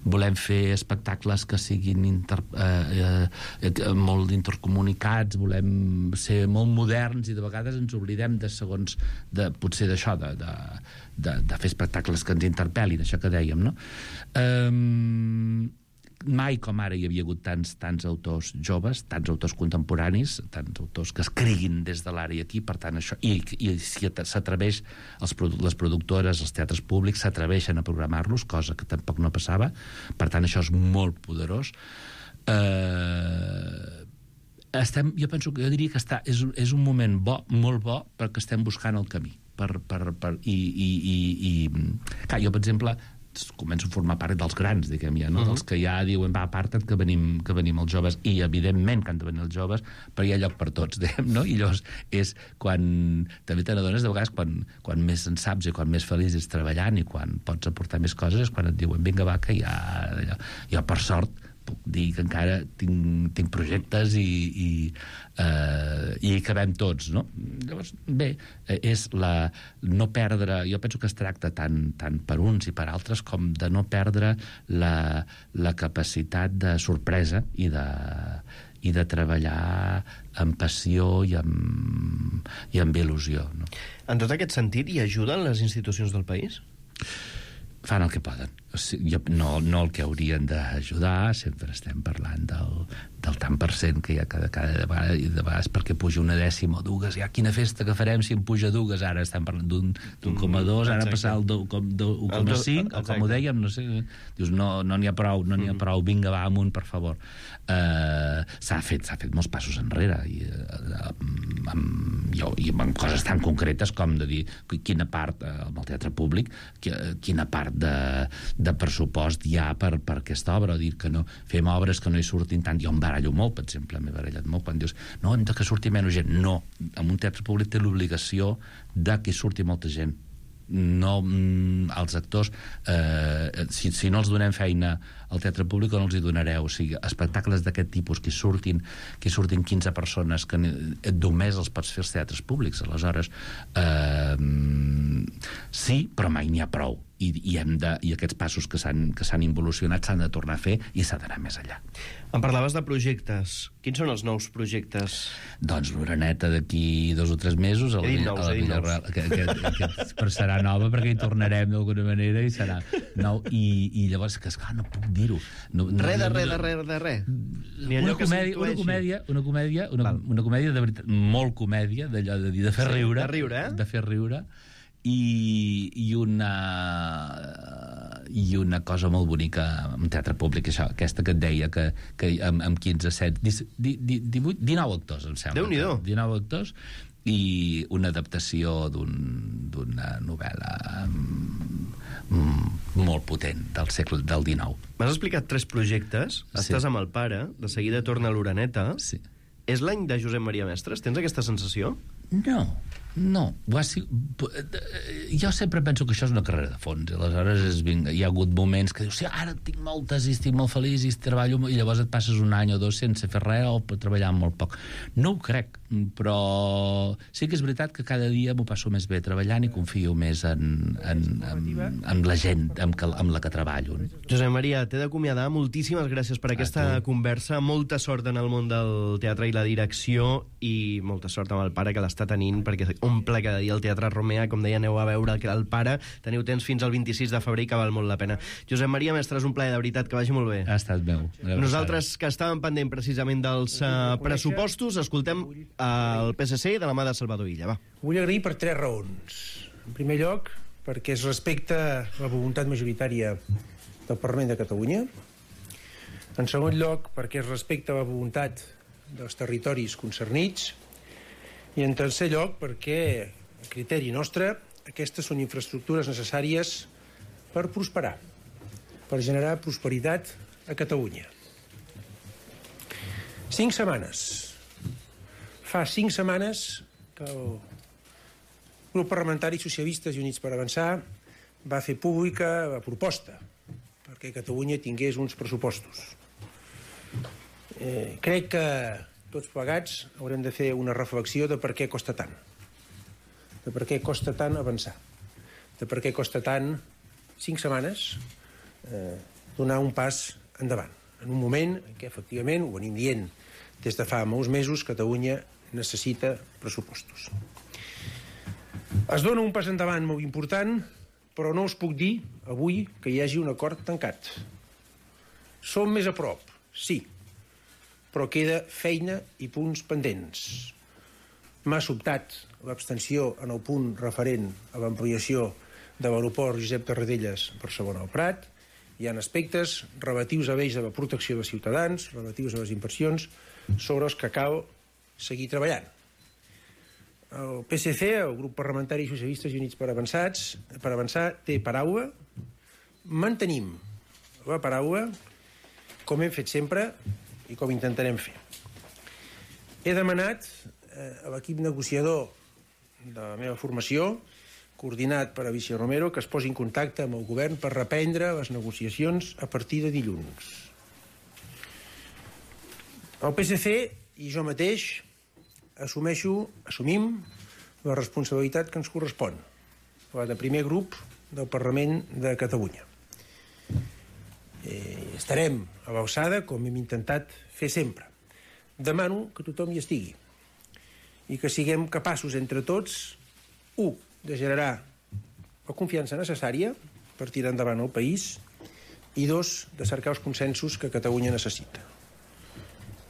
volem fer espectacles que siguin inter, eh, eh, molt intercomunicats, volem ser molt moderns, i de vegades ens oblidem de segons, de, potser d'això, de, de, de, de fer espectacles que ens interpel·lin, això que dèiem, no? Eh, mai com ara hi havia hagut tants, tants autors joves, tants autors contemporanis, tants autors que escriguin des de l'ara i aquí, per tant això, i, i si s'atreveix, els, les productores, els teatres públics s'atreveixen a programar-los, cosa que tampoc no passava, per tant això és molt poderós. Eh, estem, jo penso que jo diria que està, és, és un moment bo, molt bo, perquè estem buscant el camí, per, per, per, i, i, i, i clar, jo per exemple començo a formar part dels grans, diguem ja, no? Uh -huh. Dels que ja diuen, va, aparta't que venim, que venim els joves, i evidentment que han de venir els joves, però hi ha lloc per tots, diguem, no? I llavors és quan... També te n'adones de vegades quan, quan més en saps i quan més feliç ets treballant i quan pots aportar més coses és quan et diuen, vinga, va, que ja... Jo, per sort, puc dir que encara tinc, tinc projectes i, i, eh, i hi cabem tots, no? Llavors, bé, és la... no perdre... Jo penso que es tracta tant, tant per uns i per altres com de no perdre la, la capacitat de sorpresa i de, i de treballar amb passió i amb, i amb il·lusió, no? En tot aquest sentit, hi ajuden les institucions del país? Fan el que poden. O sigui, jo, no, no el que haurien d'ajudar, sempre estem parlant del, del tant per cent que hi ha cada, cada vegada, i de vegades perquè puja una dècima o dues, ja quina festa que farem si em puja dues, ara estem parlant d'un coma dos, ara passar al un coma cinc, o com ho dèiem, no sé, dius, no n'hi no ha prou, no n'hi ha prou, vinga, va, amunt, per favor. Uh, s'ha fet, s'ha fet molts passos enrere, i, uh, amb, jo, i amb coses tan concretes com de dir quina part, uh, amb el teatre públic, quina part de, de pressupost hi ha per, per aquesta obra, o dir que no fem obres que no hi surtin tant. Jo em barallo molt, per exemple, m'he barallat molt quan dius, no, hem de que surti menys gent. No, en un teatre públic té l'obligació de que hi surti molta gent. No, els actors, eh, si, si no els donem feina al teatre públic, no els hi donareu. O sigui, espectacles d'aquest tipus que surtin, que surtin quinze persones, que només els pots fer als teatres públics. Aleshores, eh, sí, però mai n'hi ha prou. I, i, hem de, i aquests passos que s'han que s'han involucionat s'han de tornar a fer i s'ha d'anar més enllà. Em parlaves de projectes. Quins són els nous projectes? Doncs l'Oreneta d'aquí dos o tres mesos a la, he dit nous, a la he dit Villarreal, que, que, que, però serà nova perquè hi tornarem d'alguna manera i serà nou. I, i llavors, que esclar, no puc dir-ho. No, no, res de res de res de res. Una comèdia, una comèdia, una comèdia, una, una comèdia de veritat, molt comèdia, d'allò de dir, de fer sí, riure. De riure, eh? De fer riure. I, i una i una cosa molt bonica en teatre públic, això, aquesta que et deia que, que amb, amb quinze, set, divuit, dinou actors, em sembla. Déu-n'hi-do. dinou actors i una adaptació d'un, d'una novel·la mm, molt potent del segle del dinou. M'has explicat tres projectes, Sí. estàs amb el pare, de seguida torna a l'Oreneta. Sí. És l'any de Josep Maria Mestres? Tens aquesta sensació? No, no. Ha sigut... Jo sempre penso que això és una carrera de fons. Aleshores és, vinga, hi ha hagut moments que dius, sí, ara tinc moltes i estic molt feliç i treballo, i llavors et passes un any o dos sense fer res o treballar molt poc. No ho crec, però sí que és veritat que cada dia m'ho passo més bé treballant i confio més en, en, en, en la gent amb, que, amb la que treballo. Josep Maria, t'he d'acomiadar. Moltíssimes gràcies per aquesta conversa. Molta sort en el món del teatre i la direcció i molta sort amb el pare que l'està tenint, perquè omple cada dia el Teatre Romea. Com deia, aneu a veure el pare. Teniu temps fins al vint-i-sis de febrer i que val molt la pena. Josep Maria Mestres, un plaer, de veritat, que vagi molt bé. Ha estat meu. Nosaltres, que estàvem pendent precisament dels uh, pressupostos, escoltem el P S C de la mà de Salvador Illa. Va. Vull agrair per tres raons. En primer lloc, perquè es respecta la voluntat majoritària del Parlament de Catalunya. En segon lloc, perquè es respecta la voluntat dels territoris concernits. I en tercer lloc, perquè, a criteri nostre, aquestes són infraestructures necessàries per prosperar, per generar prosperitat a Catalunya. Cinc setmanes. Fa cinc setmanes que el grup parlamentari Socialistes i Units per Avançar va fer pública la proposta perquè Catalunya tingués uns pressupostos. Eh, crec que tots plegats haurem de fer una reflexió de per què costa tant. De per què costa tant avançar. De per què costa tant, cinc setmanes, eh, donar un pas endavant. En un moment en què, efectivament, ho venim dient des de fa molts mesos, Catalunya necessita pressupostos. Es dona un pas endavant molt important, però no us puc dir avui que hi hagi un acord tancat. Som més a prop, sí, però queda feina i punts pendents. M'ha sobtat l'abstenció en el punt referent a l'ampliació de l'aeroport Josep Tarradellas Barcelona al Prat. Hi ha aspectes relatius a ells de la protecció dels ciutadans, relatius a les inversions, sobre els que cal seguir treballant. El P S C, el grup parlamentari Socialistes i Units per Avançats, per avançar, té paraula. Mantenim la paraula, com hem fet sempre i com intentarem fer. He demanat eh, a l'equip negociador de la meva formació, coordinat per Alicia Romero, que es posi en contacte amb el govern per reprendre les negociacions a partir de dilluns. El P S C i jo mateix assumeixo, assumim la responsabilitat que ens correspon, la de primer grup del Parlament de Catalunya. Eh, estarem a l'alçada, com hem intentat fer sempre. Demano que tothom hi estigui i que siguem capaços entre tots, u, de generar la confiança necessària per tirar endavant el país i dos, de cercar els consensos que Catalunya necessita.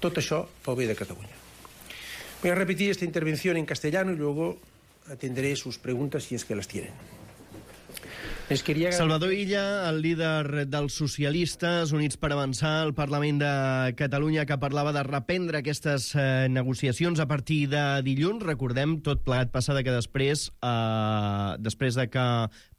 Tot això pel bé de Catalunya. Voy a repetir esta intervención en castellano y luego atenderé sus preguntas si es que las tienen. Les quería... Salvador Illa, el líder dels socialistes Units per Avançar al Parlament de Catalunya, que parlava de reprendre aquestes eh, negociacions a partir de dilluns. Recordem, tot plegat passada que després, eh, després de que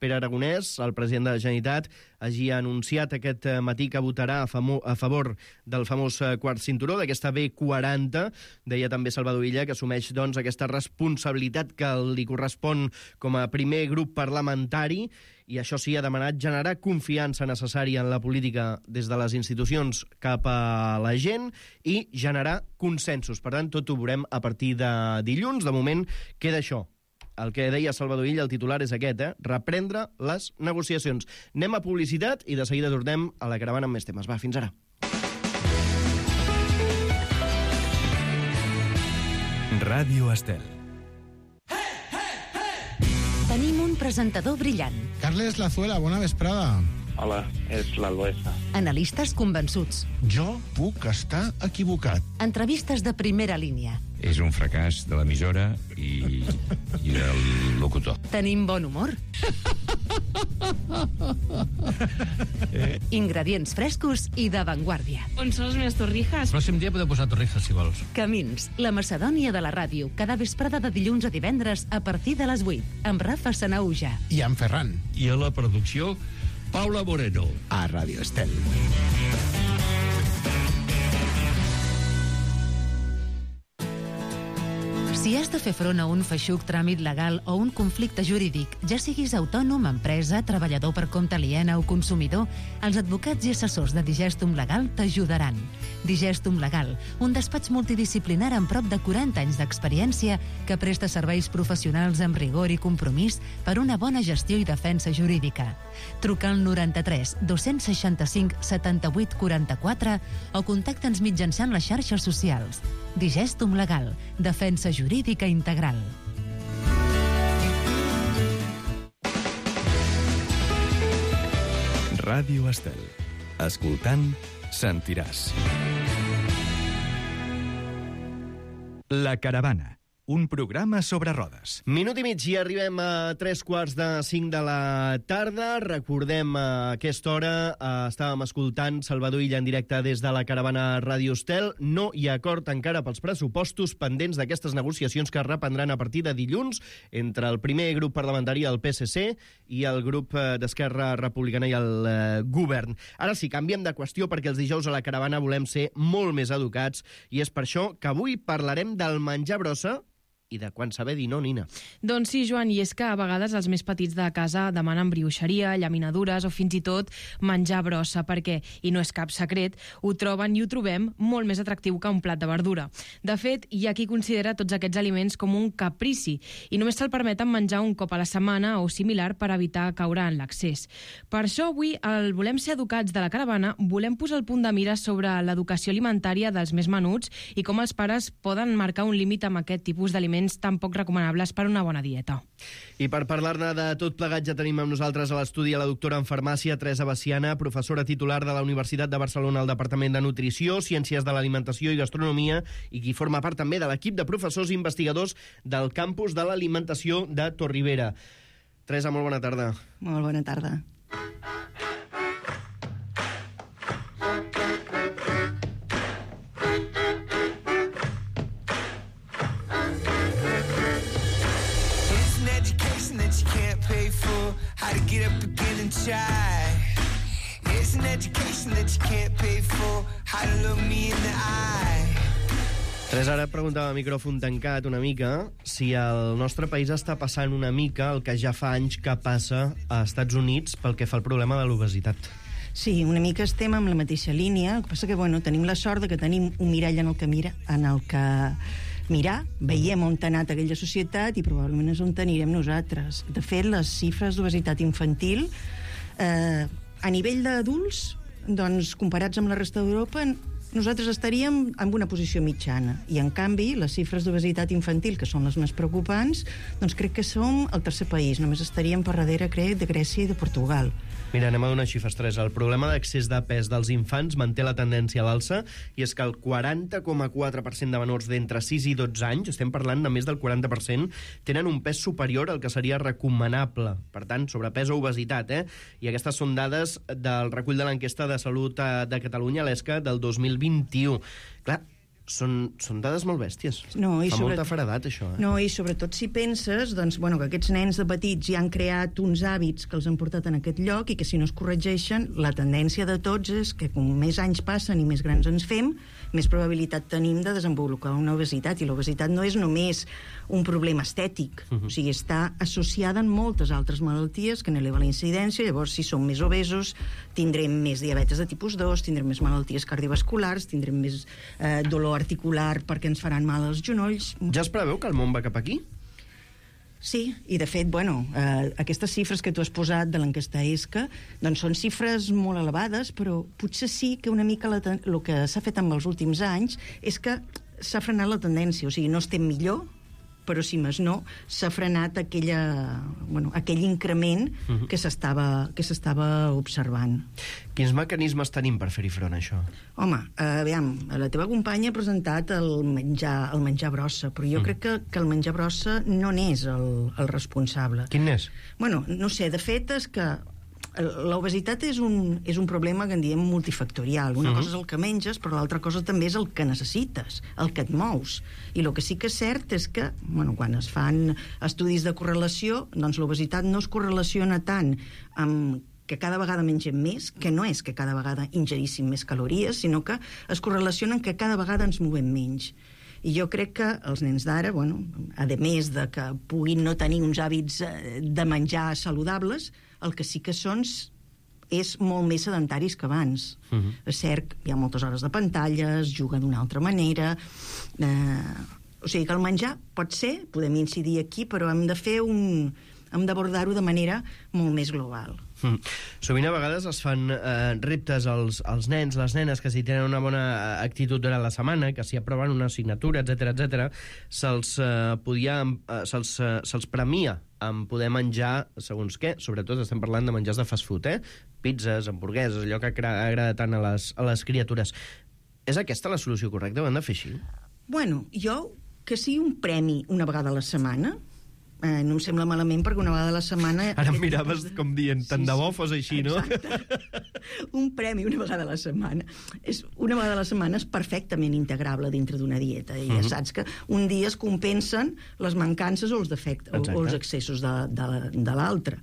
Pere Aragonès, el president de la Generalitat, hagi anunciat aquest matí que votarà a, famo, a favor del famós quart cinturó, d'aquesta B quaranta. Deia també Salvador Illa que assumeix doncs, aquesta responsabilitat que li correspon com a primer grup parlamentari, i això sí, ha demanat generar confiança necessària en la política des de les institucions cap a la gent i generar consensos. Per tant, tot ho veurem a partir de dilluns. De moment, queda això. El que deia Salvador Illa, el titular és aquest, eh? Reprendre les negociacions. Anem a publicitat i de seguida tornem a la caravana amb més temes. Va, fins ara. Ràdio Estel. Tenim un presentador brillant. Carles Lazuela, bona vesprada. Hola, és l'Alboesa. Analistes convençuts. Jo puc estar equivocat. Entrevistes de primera línia. És un fracàs de l'emissora i, i del locutor. Tenim bon humor. Ingredients frescos i d'avantguàrdia. On són les meves torrijas? El pròxim dia podeu posar torrijas, si vols. Camins, la Macedònia de la ràdio, cada vesprada de dilluns a divendres a partir de les vuit, amb Rafa Sanauja. I en Ferran. I a la producció, Paula Moreno. A Ràdio Estel. Si has de fer front a un feixuc tràmit legal o un conflicte jurídic, ja siguis autònom, empresa, treballador per compte aliena o consumidor, els advocats i assessors de Digestum Legal t'ajudaran. Digestum Legal, un despatx multidisciplinar amb prop de quaranta anys d'experiència que presta serveis professionals amb rigor i compromís per una bona gestió i defensa jurídica. Truca al noranta-tres dos-cents seixanta-cinc setanta-vuit quaranta-quatre o contacta'ns mitjançant les xarxes socials. Digestum Legal, defensa jurídica integral. Ràdio Estel. Escoltant, sentiràs. La Caravana, un programa sobre rodes. Minut i mig i arribem a tres quarts de cinc de la tarda. Recordem, a aquesta hora eh, estàvem escoltant Salvador Illa en directe des de la Caravana Ràdio Estel. No hi ha acord encara pels pressupostos pendents d'aquestes negociacions que es reprendran a partir de dilluns entre el primer grup parlamentari, el P S C, i el grup eh, d'Esquerra Republicana i el eh, govern. Ara sí, canviem de qüestió perquè els dijous a la Caravana volem ser molt més educats i és per això que avui parlarem del menjar brossa i de quan saber dir no, Nina. Doncs sí, Joan, i és que a vegades els més petits de casa demanen brioixeria, llaminadures o fins i tot menjar brossa, perquè, i no és cap secret, ho troben i ho trobem molt més atractiu que un plat de verdura. De fet, hi ha qui considera tots aquests aliments com un caprici i només se'l permeten menjar un cop a la setmana o similar per evitar caure en l'accés. Per això avui, al Volem ser educats de la Caravana, volem posar el punt de mira sobre l'educació alimentària dels més menuts i com els pares poden marcar un límit amb aquest tipus d'aliments tan poc recomanables per una bona dieta. I per parlar-ne de tot plegat ja tenim amb nosaltres a l'estudi a la doctora en farmàcia Teresa Baciana, professora titular de la Universitat de Barcelona al Departament de Nutrició, Ciències de l'Alimentació i Gastronomia i qui forma part també de l'equip de professors i investigadors del campus de l'alimentació de Torribera. Teresa, molt bona tarda. Molt bona tarda. How to get up again and try. It's an education that you can't pay for. How to look me in the eye. Teresa, ara et preguntava a micròfon tancat una mica si el nostre país està passant una mica el que ja fa anys que passa a Estats Units pel que fa al problema de l'obesitat. Sí, una mica estem amb la mateixa línia. El que passa que, bueno, tenim la sort de que tenim un mirall en el que mira, en el que mirar, veiem on ha anat aquella societat i probablement és on anirem nosaltres. De fet, les xifres d'obesitat infantil eh, a nivell d'adults, doncs, comparats amb la resta d'Europa, nosaltres estaríem en una posició mitjana. I, en canvi, les xifres d'obesitat infantil, que són les més preocupants, doncs crec que som el tercer país. Només estaríem per darrere, crec, de Grècia i de Portugal. Mira, anem a donar xifres, Teresa. El problema d'accés de pes dels infants manté la tendència a l'alça i és que el quaranta coma quatre per cent de menors d'entre sis i dotze anys, estem parlant de més del quaranta per cent, tenen un pes superior al que seria recomanable. Per tant, sobrepès o obesitat, eh? I aquestes són dades del recull de l'enquesta de salut de Catalunya, l'ESCA, del dos mil vint-i-u. Clar, Són, són dades molt bèsties. No, i Fa sobre... molta feredat, això. Eh? No, i sobretot si penses doncs, bueno, que aquests nens de petits ja han creat uns hàbits que els han portat en aquest lloc i que si no es corregeixen, la tendència de tots és que com més anys passen i més grans ens fem, més probabilitat tenim de desenvolupar una obesitat. I l'obesitat no és només un problema estètic, uh-huh. o sigui, està associada en moltes altres malalties que n'eleva la incidència. Llavors, si som més obesos, tindrem més diabetes de tipus dos, tindrem més malalties cardiovasculars, tindrem més eh, dolor articular perquè ens faran mal als genolls. Ja es preveu que el món va cap aquí? Sí, i de fet, bueno, eh, aquestes xifres que tu has posat de l'enquesta ESCA, doncs són xifres molt elevades, però potser sí que una mica la, el que s'ha fet amb els últims anys és que s'ha frenat la tendència, o sigui, no estem millor, però si més no, s'ha frenat aquella, bueno, aquell increment uh-huh. que s'estava que s'estava observant. Quins mecanismes tenim per fer-hi front a això? Home, eh, aviam, la teva companya ha presentat el menjar, el menjar brossa, però jo uh-huh. crec que, que el menjar brossa no n'és el, el responsable. Quin n'és? Bueno, no sé, de fet és que l'obesitat és un, és un problema que en diem multifactorial. Una uh-huh. cosa és el que menges, però l'altra cosa també és el que necessites, el que et mous. I el que sí que és cert és que, bueno, quan es fan estudis de correlació, doncs l'obesitat no es correlaciona tant amb que cada vegada mengem més, que no és que cada vegada ingeríssim més calories, sinó que es correlacionen que cada vegada ens movem menys. I jo crec que els nens d'ara, bueno, a més de que puguin no tenir uns hàbits de menjar saludables, el que sí que són és molt més sedentaris que abans. Uh-huh. És cert, hi ha moltes hores de pantalles, juguen d'una altra manera... Eh, o sigui que el menjar pot ser, podem incidir aquí, però hem de fer un... hem d'abordar-ho de manera molt més global. Mm. Sovint a vegades es fan eh, reptes als, als nens, les nenes, que si tenen una bona actitud durant la setmana, que si aproven una assignatura, etcètera, etcètera, se'ls eh, podia, eh, se'ls, eh, se'ls premia en poder menjar segons què. Sobretot estem parlant de menjars de fast food, eh? Pizzas, hamburgueses, allò que agrada tant a les, a les criatures. És aquesta la solució correcta? Ho hem de fer així? Bueno, jo, que sigui un premi una vegada a la setmana, Eh, no em sembla malament, perquè una vegada a la setmana... Ara em miraves de... com dient, tant sí, de bo fos així, no? Un premi una vegada a la setmana. És, una vegada a la setmana és perfectament integrable dintre d'una dieta. I ja uh-huh. saps que un dia es compensen les mancances o els defectes, o, o els excessos de, de, de l'altre.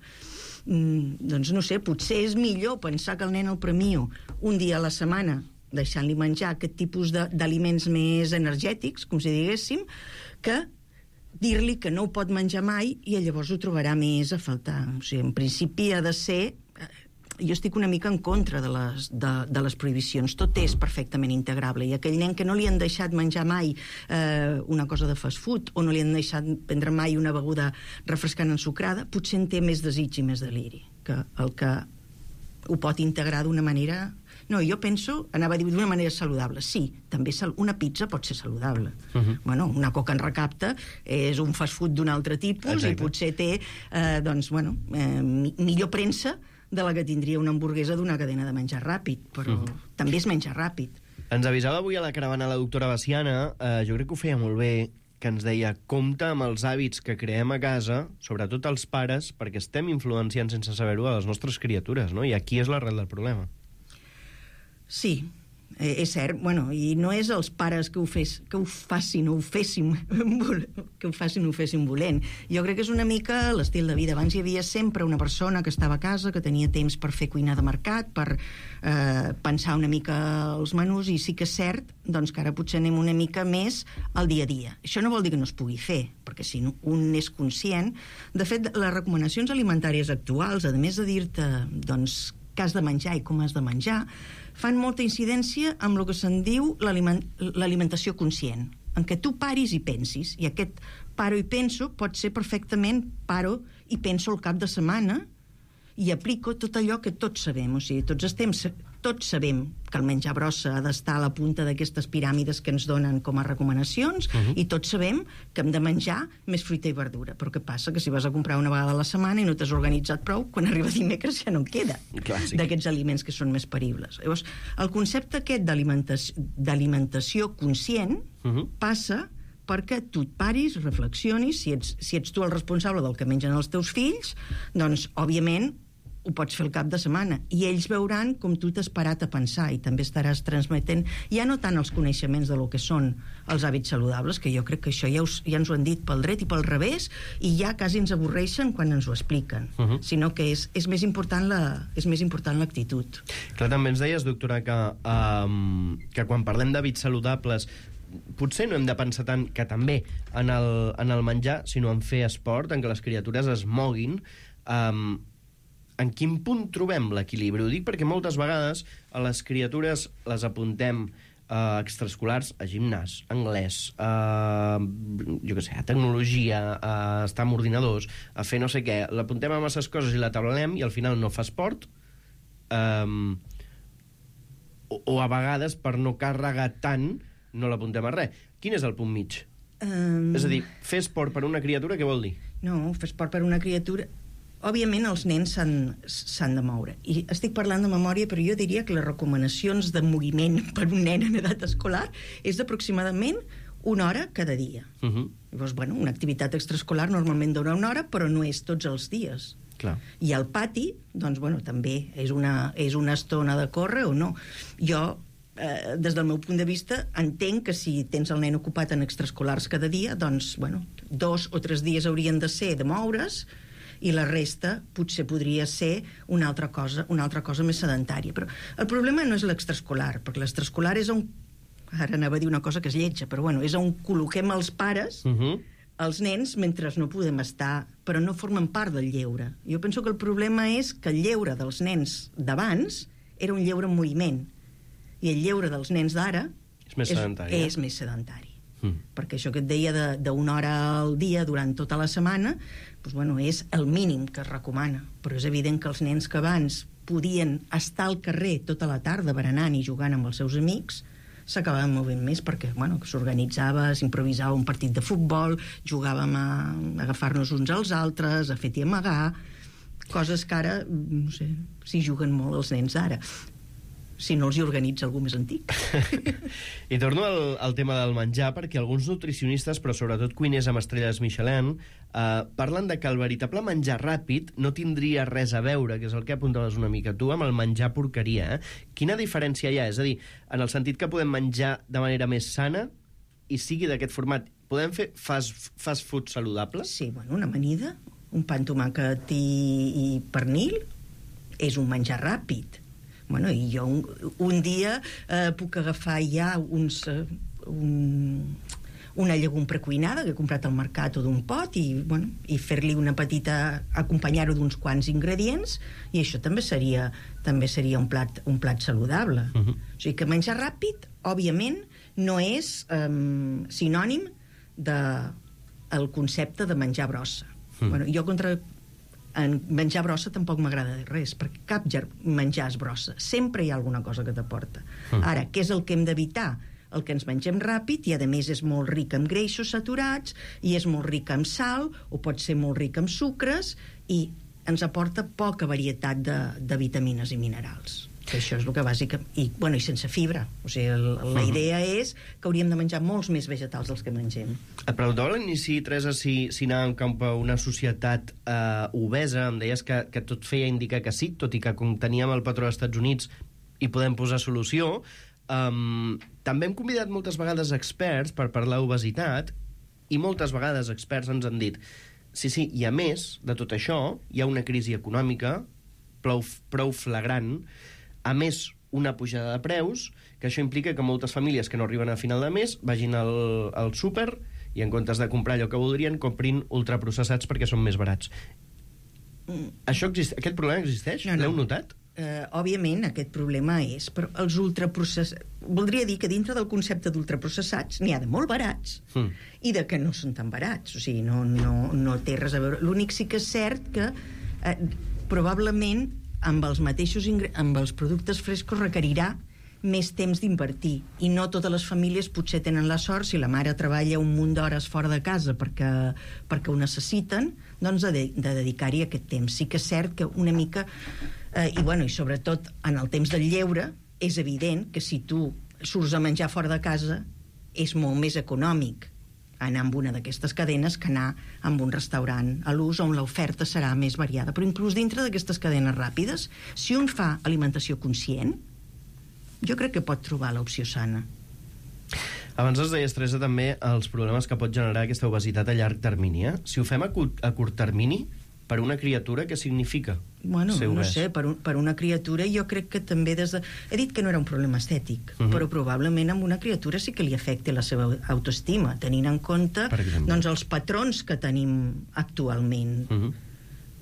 Mm, doncs no sé, potser és millor pensar que el nen el premio un dia a la setmana, deixant-li menjar aquest tipus de, d'aliments més energètics, com si diguéssim, que dir-li que no ho pot menjar mai i llavors ho trobarà més a faltar. O sigui, en principi ha de ser... Jo estic una mica en contra de les, de, de les prohibicions. Tot és perfectament integrable. I aquell nen que no li han deixat menjar mai eh, una cosa de fast food o no li han deixat prendre mai una beguda refrescant ensucrada, potser en té més desig i més deliri que el que ho pot integrar d'una manera... No, jo penso, anava a dir d'una manera saludable. Sí, també sal... una pizza pot ser saludable. Uh-huh. Bueno, una coca en recapte és un fast food d'un altre tipus. Exacte. I potser té, eh, doncs, bueno, eh, millor premsa de la que tindria una hamburguesa d'una cadena de menjar ràpid, però uh-huh. també és menjar ràpid. Ens avisava avui a la caravana la doctora Baciana, eh, jo crec que ho feia molt bé, que ens deia, compta amb els hàbits que creem a casa, sobretot els pares, perquè estem influenciant sense saber-ho a les nostres criatures, no? I aquí és l'arrel del problema. Sí, eh, és cert, bueno, i no és els pares que ho, fes, que ho facin o ho fessin que ho facin o ho fessin volent. Jo crec que és una mica l'estil de vida. Abans hi havia sempre una persona que estava a casa, que tenia temps per fer cuina de mercat, per eh, pensar una mica els menús, i sí que és cert doncs, que ara potser anem una mica més al dia a dia. Això no vol dir que no es pugui fer, perquè si un és conscient... De fet, les recomanacions alimentàries actuals, a més de dir-te doncs, què has de menjar i com has de menjar, fan molta incidència amb el que se'n diu l'aliment, l'alimentació conscient, en què tu paris i pensis, i aquest paro i penso pot ser perfectament paro i penso al cap de setmana i aplico tot allò que tots sabem, o sigui, tots estem, tots sabem que el menjar brossa ha d'estar a la punta d'aquestes piràmides que ens donen com a recomanacions, uh-huh. i tots sabem que hem de menjar més fruita i verdura, però què passa? Que si vas a comprar una vegada a la setmana i no t'has organitzat prou, quan arriba dimecres ja no en queda Clàssic. D'aquests aliments que són més peribles. Llavors, el concepte aquest d'alimentació, d'alimentació conscient uh-huh. passa perquè tu et paris, reflexionis, si ets, si ets tu el responsable del que mengen els teus fills, doncs, òbviament, ho pots fer el cap de setmana, i ells veuran com tu t'has parat a pensar, i també estaràs transmetent ja no tant els coneixements de lo que són els hàbits saludables, que jo crec que això ja, us, ja ens ho han dit pel dret i pel revés, i ja quasi ens avorreixen quan ens ho expliquen, uh-huh. sinó que és, és més important la, és més important l'actitud. Clar, també ens deies, doctora, que, um, que quan parlem d'hàbits saludables potser no hem de pensar tant que també en el, en el menjar, sinó en fer esport, en que les criatures es moguin. Um, en quin punt trobem l'equilibri? Ho dic perquè moltes vegades a les criatures les apuntem a extraescolars, a gimnàs, a anglès, a, jo què sé, a tecnologia, a estar amb ordinadors, a fer no sé què. L'apuntem a masses coses i la tablem i al final no fa esport. Um, o, o a vegades, per no carregar tant, no l'apuntem a res. Quin és el punt mig? Um... És a dir, fer esport per una criatura, què vol dir? No, fer esport per una criatura... Òbviament, els nens s'han de moure. I estic parlant de memòria, però jo diria que les recomanacions de moviment per un nen en edat escolar és d'aproximadament una hora cada dia. Uh -huh. Llavors, bueno, una activitat extraescolar normalment dura una hora, però no és tots els dies. Clar. I al pati, doncs, bueno, també és una, és una estona de córrer o no. Jo, eh, des del meu punt de vista, entenc que si tens el nen ocupat en extraescolars cada dia, doncs, bueno, dos o tres dies haurien de ser de moure's, i la resta potser podria ser una altra cosa, una altra cosa més sedentària. Però el problema no és l'extraescolar, perquè l'extraescolar és on... Ara anava a dir una cosa que és lletja, però bueno, és on col·loquem els pares, uh -huh. els nens, mentre no podem estar, però no formen part del lleure. Jo penso que el problema és que el lleure dels nens d'abans era un lleure en moviment, i el lleure dels nens d'ara és més sedentari. És, és més sedentari. Mm. Perquè això que et deia d'una hora al dia durant tota la setmana, doncs, bueno, és el mínim que es recomana. Però és evident que els nens que abans podien estar al carrer tota la tarda berenant i jugant amb els seus amics s'acabaven movent més perquè bueno, s'organitzava, s'improvisava un partit de futbol, jugàvem a agafar-nos uns als altres, a fet i amagar, coses que ara, no sé, s'hi juguen molt els nens d'ara, si no els hi organitza algú més antic. I torno al, al tema del menjar, perquè alguns nutricionistes, però sobretot cuiners amb estrelles Michelin, eh, parlen de que el veritable menjar ràpid no tindria res a veure, que és el que apuntaves una mica tu, amb el menjar porqueria. Eh? Quina diferència hi ha? És a dir, en el sentit que podem menjar de manera més sana i sigui d'aquest format, podem fer fast, fast food saludable? Sí, bueno, una amanida, un pa amb tomàquet i, i pernil és un menjar ràpid. Bueno, i jo un, un dia eh, puc agafar ja uns, eh, un, una llegum precuinada que he comprat al mercat o d'un pot i, bueno, i fer-li una petita... acompanyar-ho d'uns quants ingredients i això també seria, també seria un, plat, un plat saludable. Uh-huh. O sigui que menjar ràpid, òbviament, no és eh, sinònim del de, concepte de menjar brossa. Uh-huh. Bueno, jo contra... en menjar brossa tampoc m'agrada res, perquè cap menjar és brossa. Sempre hi ha alguna cosa que t'aporta. Mm. Ara, què és el que hem d'evitar? El que ens mengem ràpid i, a més, és molt ric en greixos saturats i és molt ric en sal, o pot ser molt ric en sucres, i ens aporta poca varietat de, de vitamines i minerals. Que això és el que bàsica... I, bueno, i sense fibra. O sigui, el, la idea és que hauríem de menjar molts més vegetals dels que mengem. Et preguntava a l'inici, Teresa, si, si anàvem cap a una societat eh, obesa. Em deies que, que tot feia indicar que sí, tot i que com teníem el patró dels Estats Units hi podem posar solució. Um, també hem convidat moltes vegades experts per parlar d'obesitat i moltes vegades experts ens han dit sí, sí, i a més de tot això hi ha una crisi econòmica prou, prou flagrant. A més, una pujada de preus, que això implica que moltes famílies que no arriben a final de mes vagin al, al súper i en comptes de comprar allò que voldrien, comprin ultraprocessats perquè són més barats. Mm. Això existe, aquest problema existeix? No, no. L'heu notat? Uh, òbviament, aquest problema és... Però els ultraprocessats... Voldria dir que dintre del concepte d'ultraprocessats n'hi ha de molt barats mm. i de que no són tan barats. O sigui, no, no, no té res a veure. L'únic sí que és cert que uh, probablement amb els mateixos amb els productes frescos requerirà més temps d'invertir, i no totes les famílies potser tenen la sort, si la mare treballa un munt d'hores fora de casa perquè, perquè ho necessiten, doncs de, de dedicar-hi aquest temps. Sí que és cert que una mica eh, i, bueno, i sobretot en el temps del lleure és evident que si tu surts a menjar fora de casa és molt més econòmic anar amb una d'aquestes cadenes que anar amb un restaurant a l'ús on l'oferta serà més variada. Però inclús dintre d'aquestes cadenes ràpides, si un fa alimentació conscient, jo crec que pot trobar l'opció sana. Abans es deia, Teresa, també els problemes que pot generar aquesta obesitat a llarg termini. Eh? Si ho fem a curt, a curt termini, per una criatura, què significa? Bueno, no sé, per, un, per una criatura jo crec que també des de... He dit que no era un problema estètic, uh-huh. però probablement amb una criatura sí que li afecta la seva autoestima, tenint en compte doncs, els patrons que tenim actualment. Uh-huh.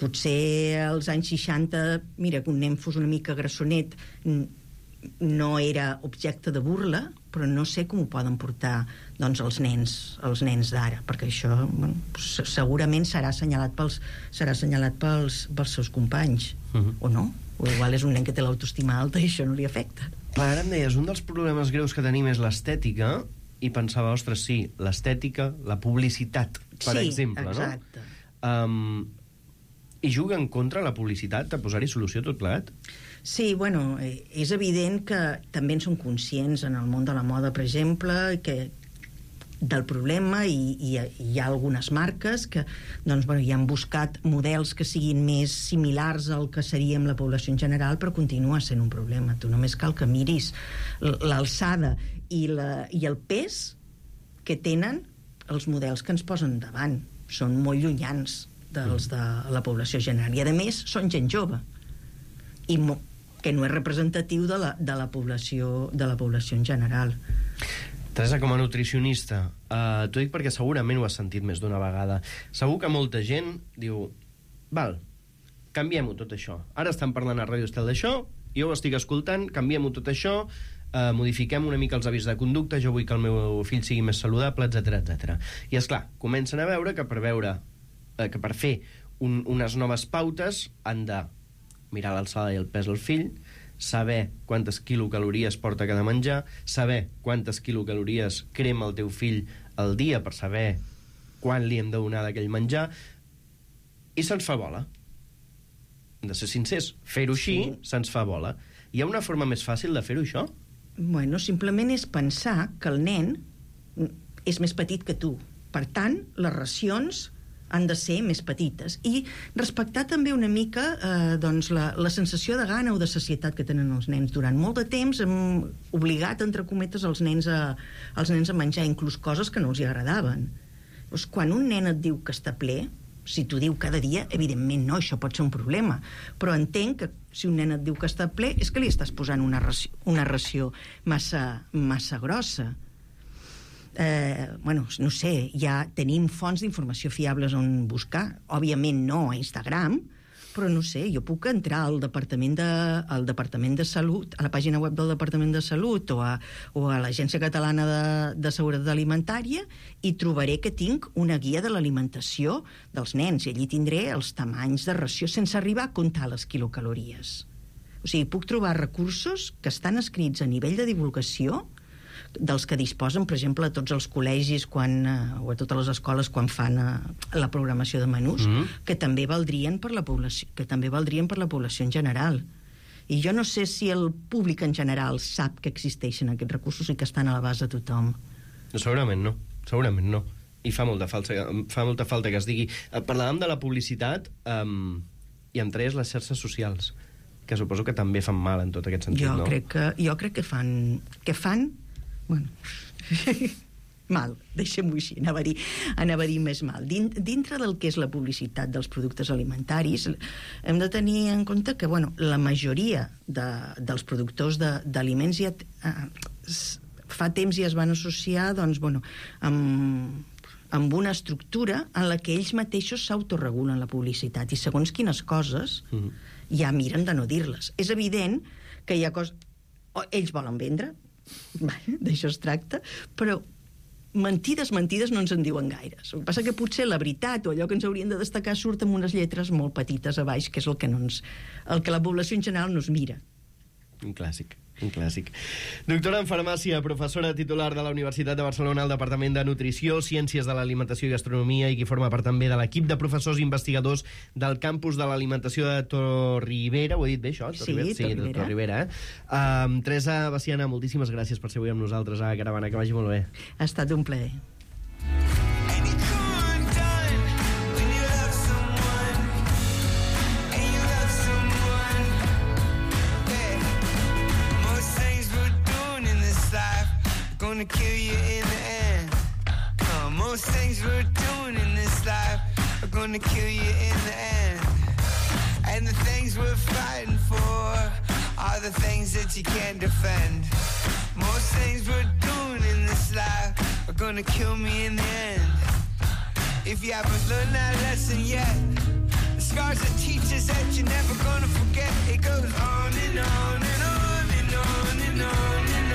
Potser als anys seixanta, mira, que un nen fos una mica grassonet no era objecte de burla, però no sé com ho poden portar doncs, els nens els nens d'ara, perquè això bueno, segurament serà assenyalat pels, serà assenyalat pels, pels seus companys, uh-huh. o no? O igual és un nen que té l'autoestima alta i això no li afecta. Ara em deies, un dels problemes greus que tenim és l'estètica, i pensava, ostres, sí, l'estètica, la publicitat, per sí, exemple, exacte. no? Um, I juga en contra la publicitat de posar-hi solució a tot plegat? Sí, bueno, és evident que també en som conscients en el món de la moda, per exemple, que del problema, i, i hi ha algunes marques que doncs, bueno, hi han buscat models que siguin més similars al que seríem la població en general, però continua sent un problema. Tu només cal que miris l'alçada i, la, i el pes que tenen els models que ens posen davant. Són molt llunyans dels de la població general. I, a més, són gent jove. I mo que no és representatiu de la, de la població de la població en general. Teresa, com a nutricionista, uh, t'ho dic perquè segurament ho has sentit més d'una vegada. Segur que molta gent diu, val, canviem-ho tot això. Ara estan parlant a Ràdio Estel d'això, jo ho estic escoltant, canviem-ho tot això, uh, modifiquem una mica els hàbits de conducta, jo vull que el meu fill sigui més saludable, etcètera, etcètera. I, és clar, comencen a veure que per veure uh, que per fer un, unes noves pautes han de mirar l'alçada i el pes del fill, saber quantes quilocalories porta cada menjar, saber quantes quilocalories crema el teu fill al dia per saber quan li hem de donar d'aquell menjar, i se'ns fa bola. Hem de ser sincers, fer-ho així sí. Se'ns fa bola. Hi ha una forma més fàcil de fer-ho, això? Bueno, simplement és pensar que el nen és més petit que tu. Per tant, les racions han de ser més petites. I respectar també una mica eh, doncs la, la sensació de gana o de sacietat que tenen els nens. Durant molt de temps hem obligat, entre cometes, els nens a, els nens a menjar inclús coses que no els hi agradaven. Doncs quan un nen et diu que està ple, si t'ho diu cada dia, evidentment no, això pot ser un problema. Però entenc que si un nen et diu que està ple és que li estàs posant una ració, una ració massa, massa grossa. Eh, bueno, no sé, ja tenim fonts d'informació fiables on buscar. Òbviament no a Instagram, però no sé, jo puc entrar al Departament de, al Departament de Salut, a la pàgina web del Departament de Salut o a, o a l'Agència Catalana de, de Seguretat Alimentària i trobaré que tinc una guia de l'alimentació dels nens i allí tindré els tamanys de ració sense arribar a comptar les quilocalories. O sigui, puc trobar recursos que estan escrits a nivell de divulgació dels que disposen, per exemple, a tots els col·legis quan, eh, o a totes les escoles quan fan eh, la programació de menús, mm-hmm. que també valdrien per la població, que també valdrien per la població en general. I jo no sé si el públic en general sap que existeixen aquests recursos i que estan a l'abast de tothom. Segurament no, segurament no. I fa molta falta, fa molta falta que es digui. Parlàvem de la publicitat um, i entre elles les xarxes socials, que suposo que també fan mal en tot aquest sentit, jo no? Crec que, jo crec que fan... Que fan bueno, mal, deixem-ho així, anava a dir, anava a dir més mal. Dintre del que és la publicitat dels productes alimentaris, hem de tenir en compte que, bueno, la majoria de, dels productors d'aliments ja, eh, fa temps ja es van associar, doncs, bueno, amb, amb una estructura en la que ells mateixos s'autoregulen la publicitat i segons quines coses mm-hmm. ja miren de no dir-les. És evident que hi ha coses... Ells volen vendre, d'això es tracta, però mentides, mentides no ens en diuen gaires. El que passa que potser la veritat o allò que ens haurien de destacar surt amb unes lletres molt petites a baix, que és el que, no ens, el que la població en general no es mira. Un clàssic, un clàssic. Doctora en farmàcia, professora titular de la Universitat de Barcelona al Departament de Nutrició, Ciències de l'Alimentació i Gastronomia i qui forma part també de l'equip de professors investigadors del campus de l'Alimentació de Torribera. Ho he dit bé, això? Torribera? Sí, sí, de Torribera. Eh? Um, Teresa Veciana, moltíssimes gràcies per ser avui amb nosaltres a Caravana. Que vagi molt bé. Ha estat un plaer. Gonna kill you in the end. Uh, most things we're doing in this life are gonna kill you in the end. And the things we're fighting for are the things that you can't defend. Most things we're doing in this life are gonna kill me in the end. If you haven't learned that lesson yet, the scars that teach us that you're never gonna forget. It goes on and on and on and on and on and on.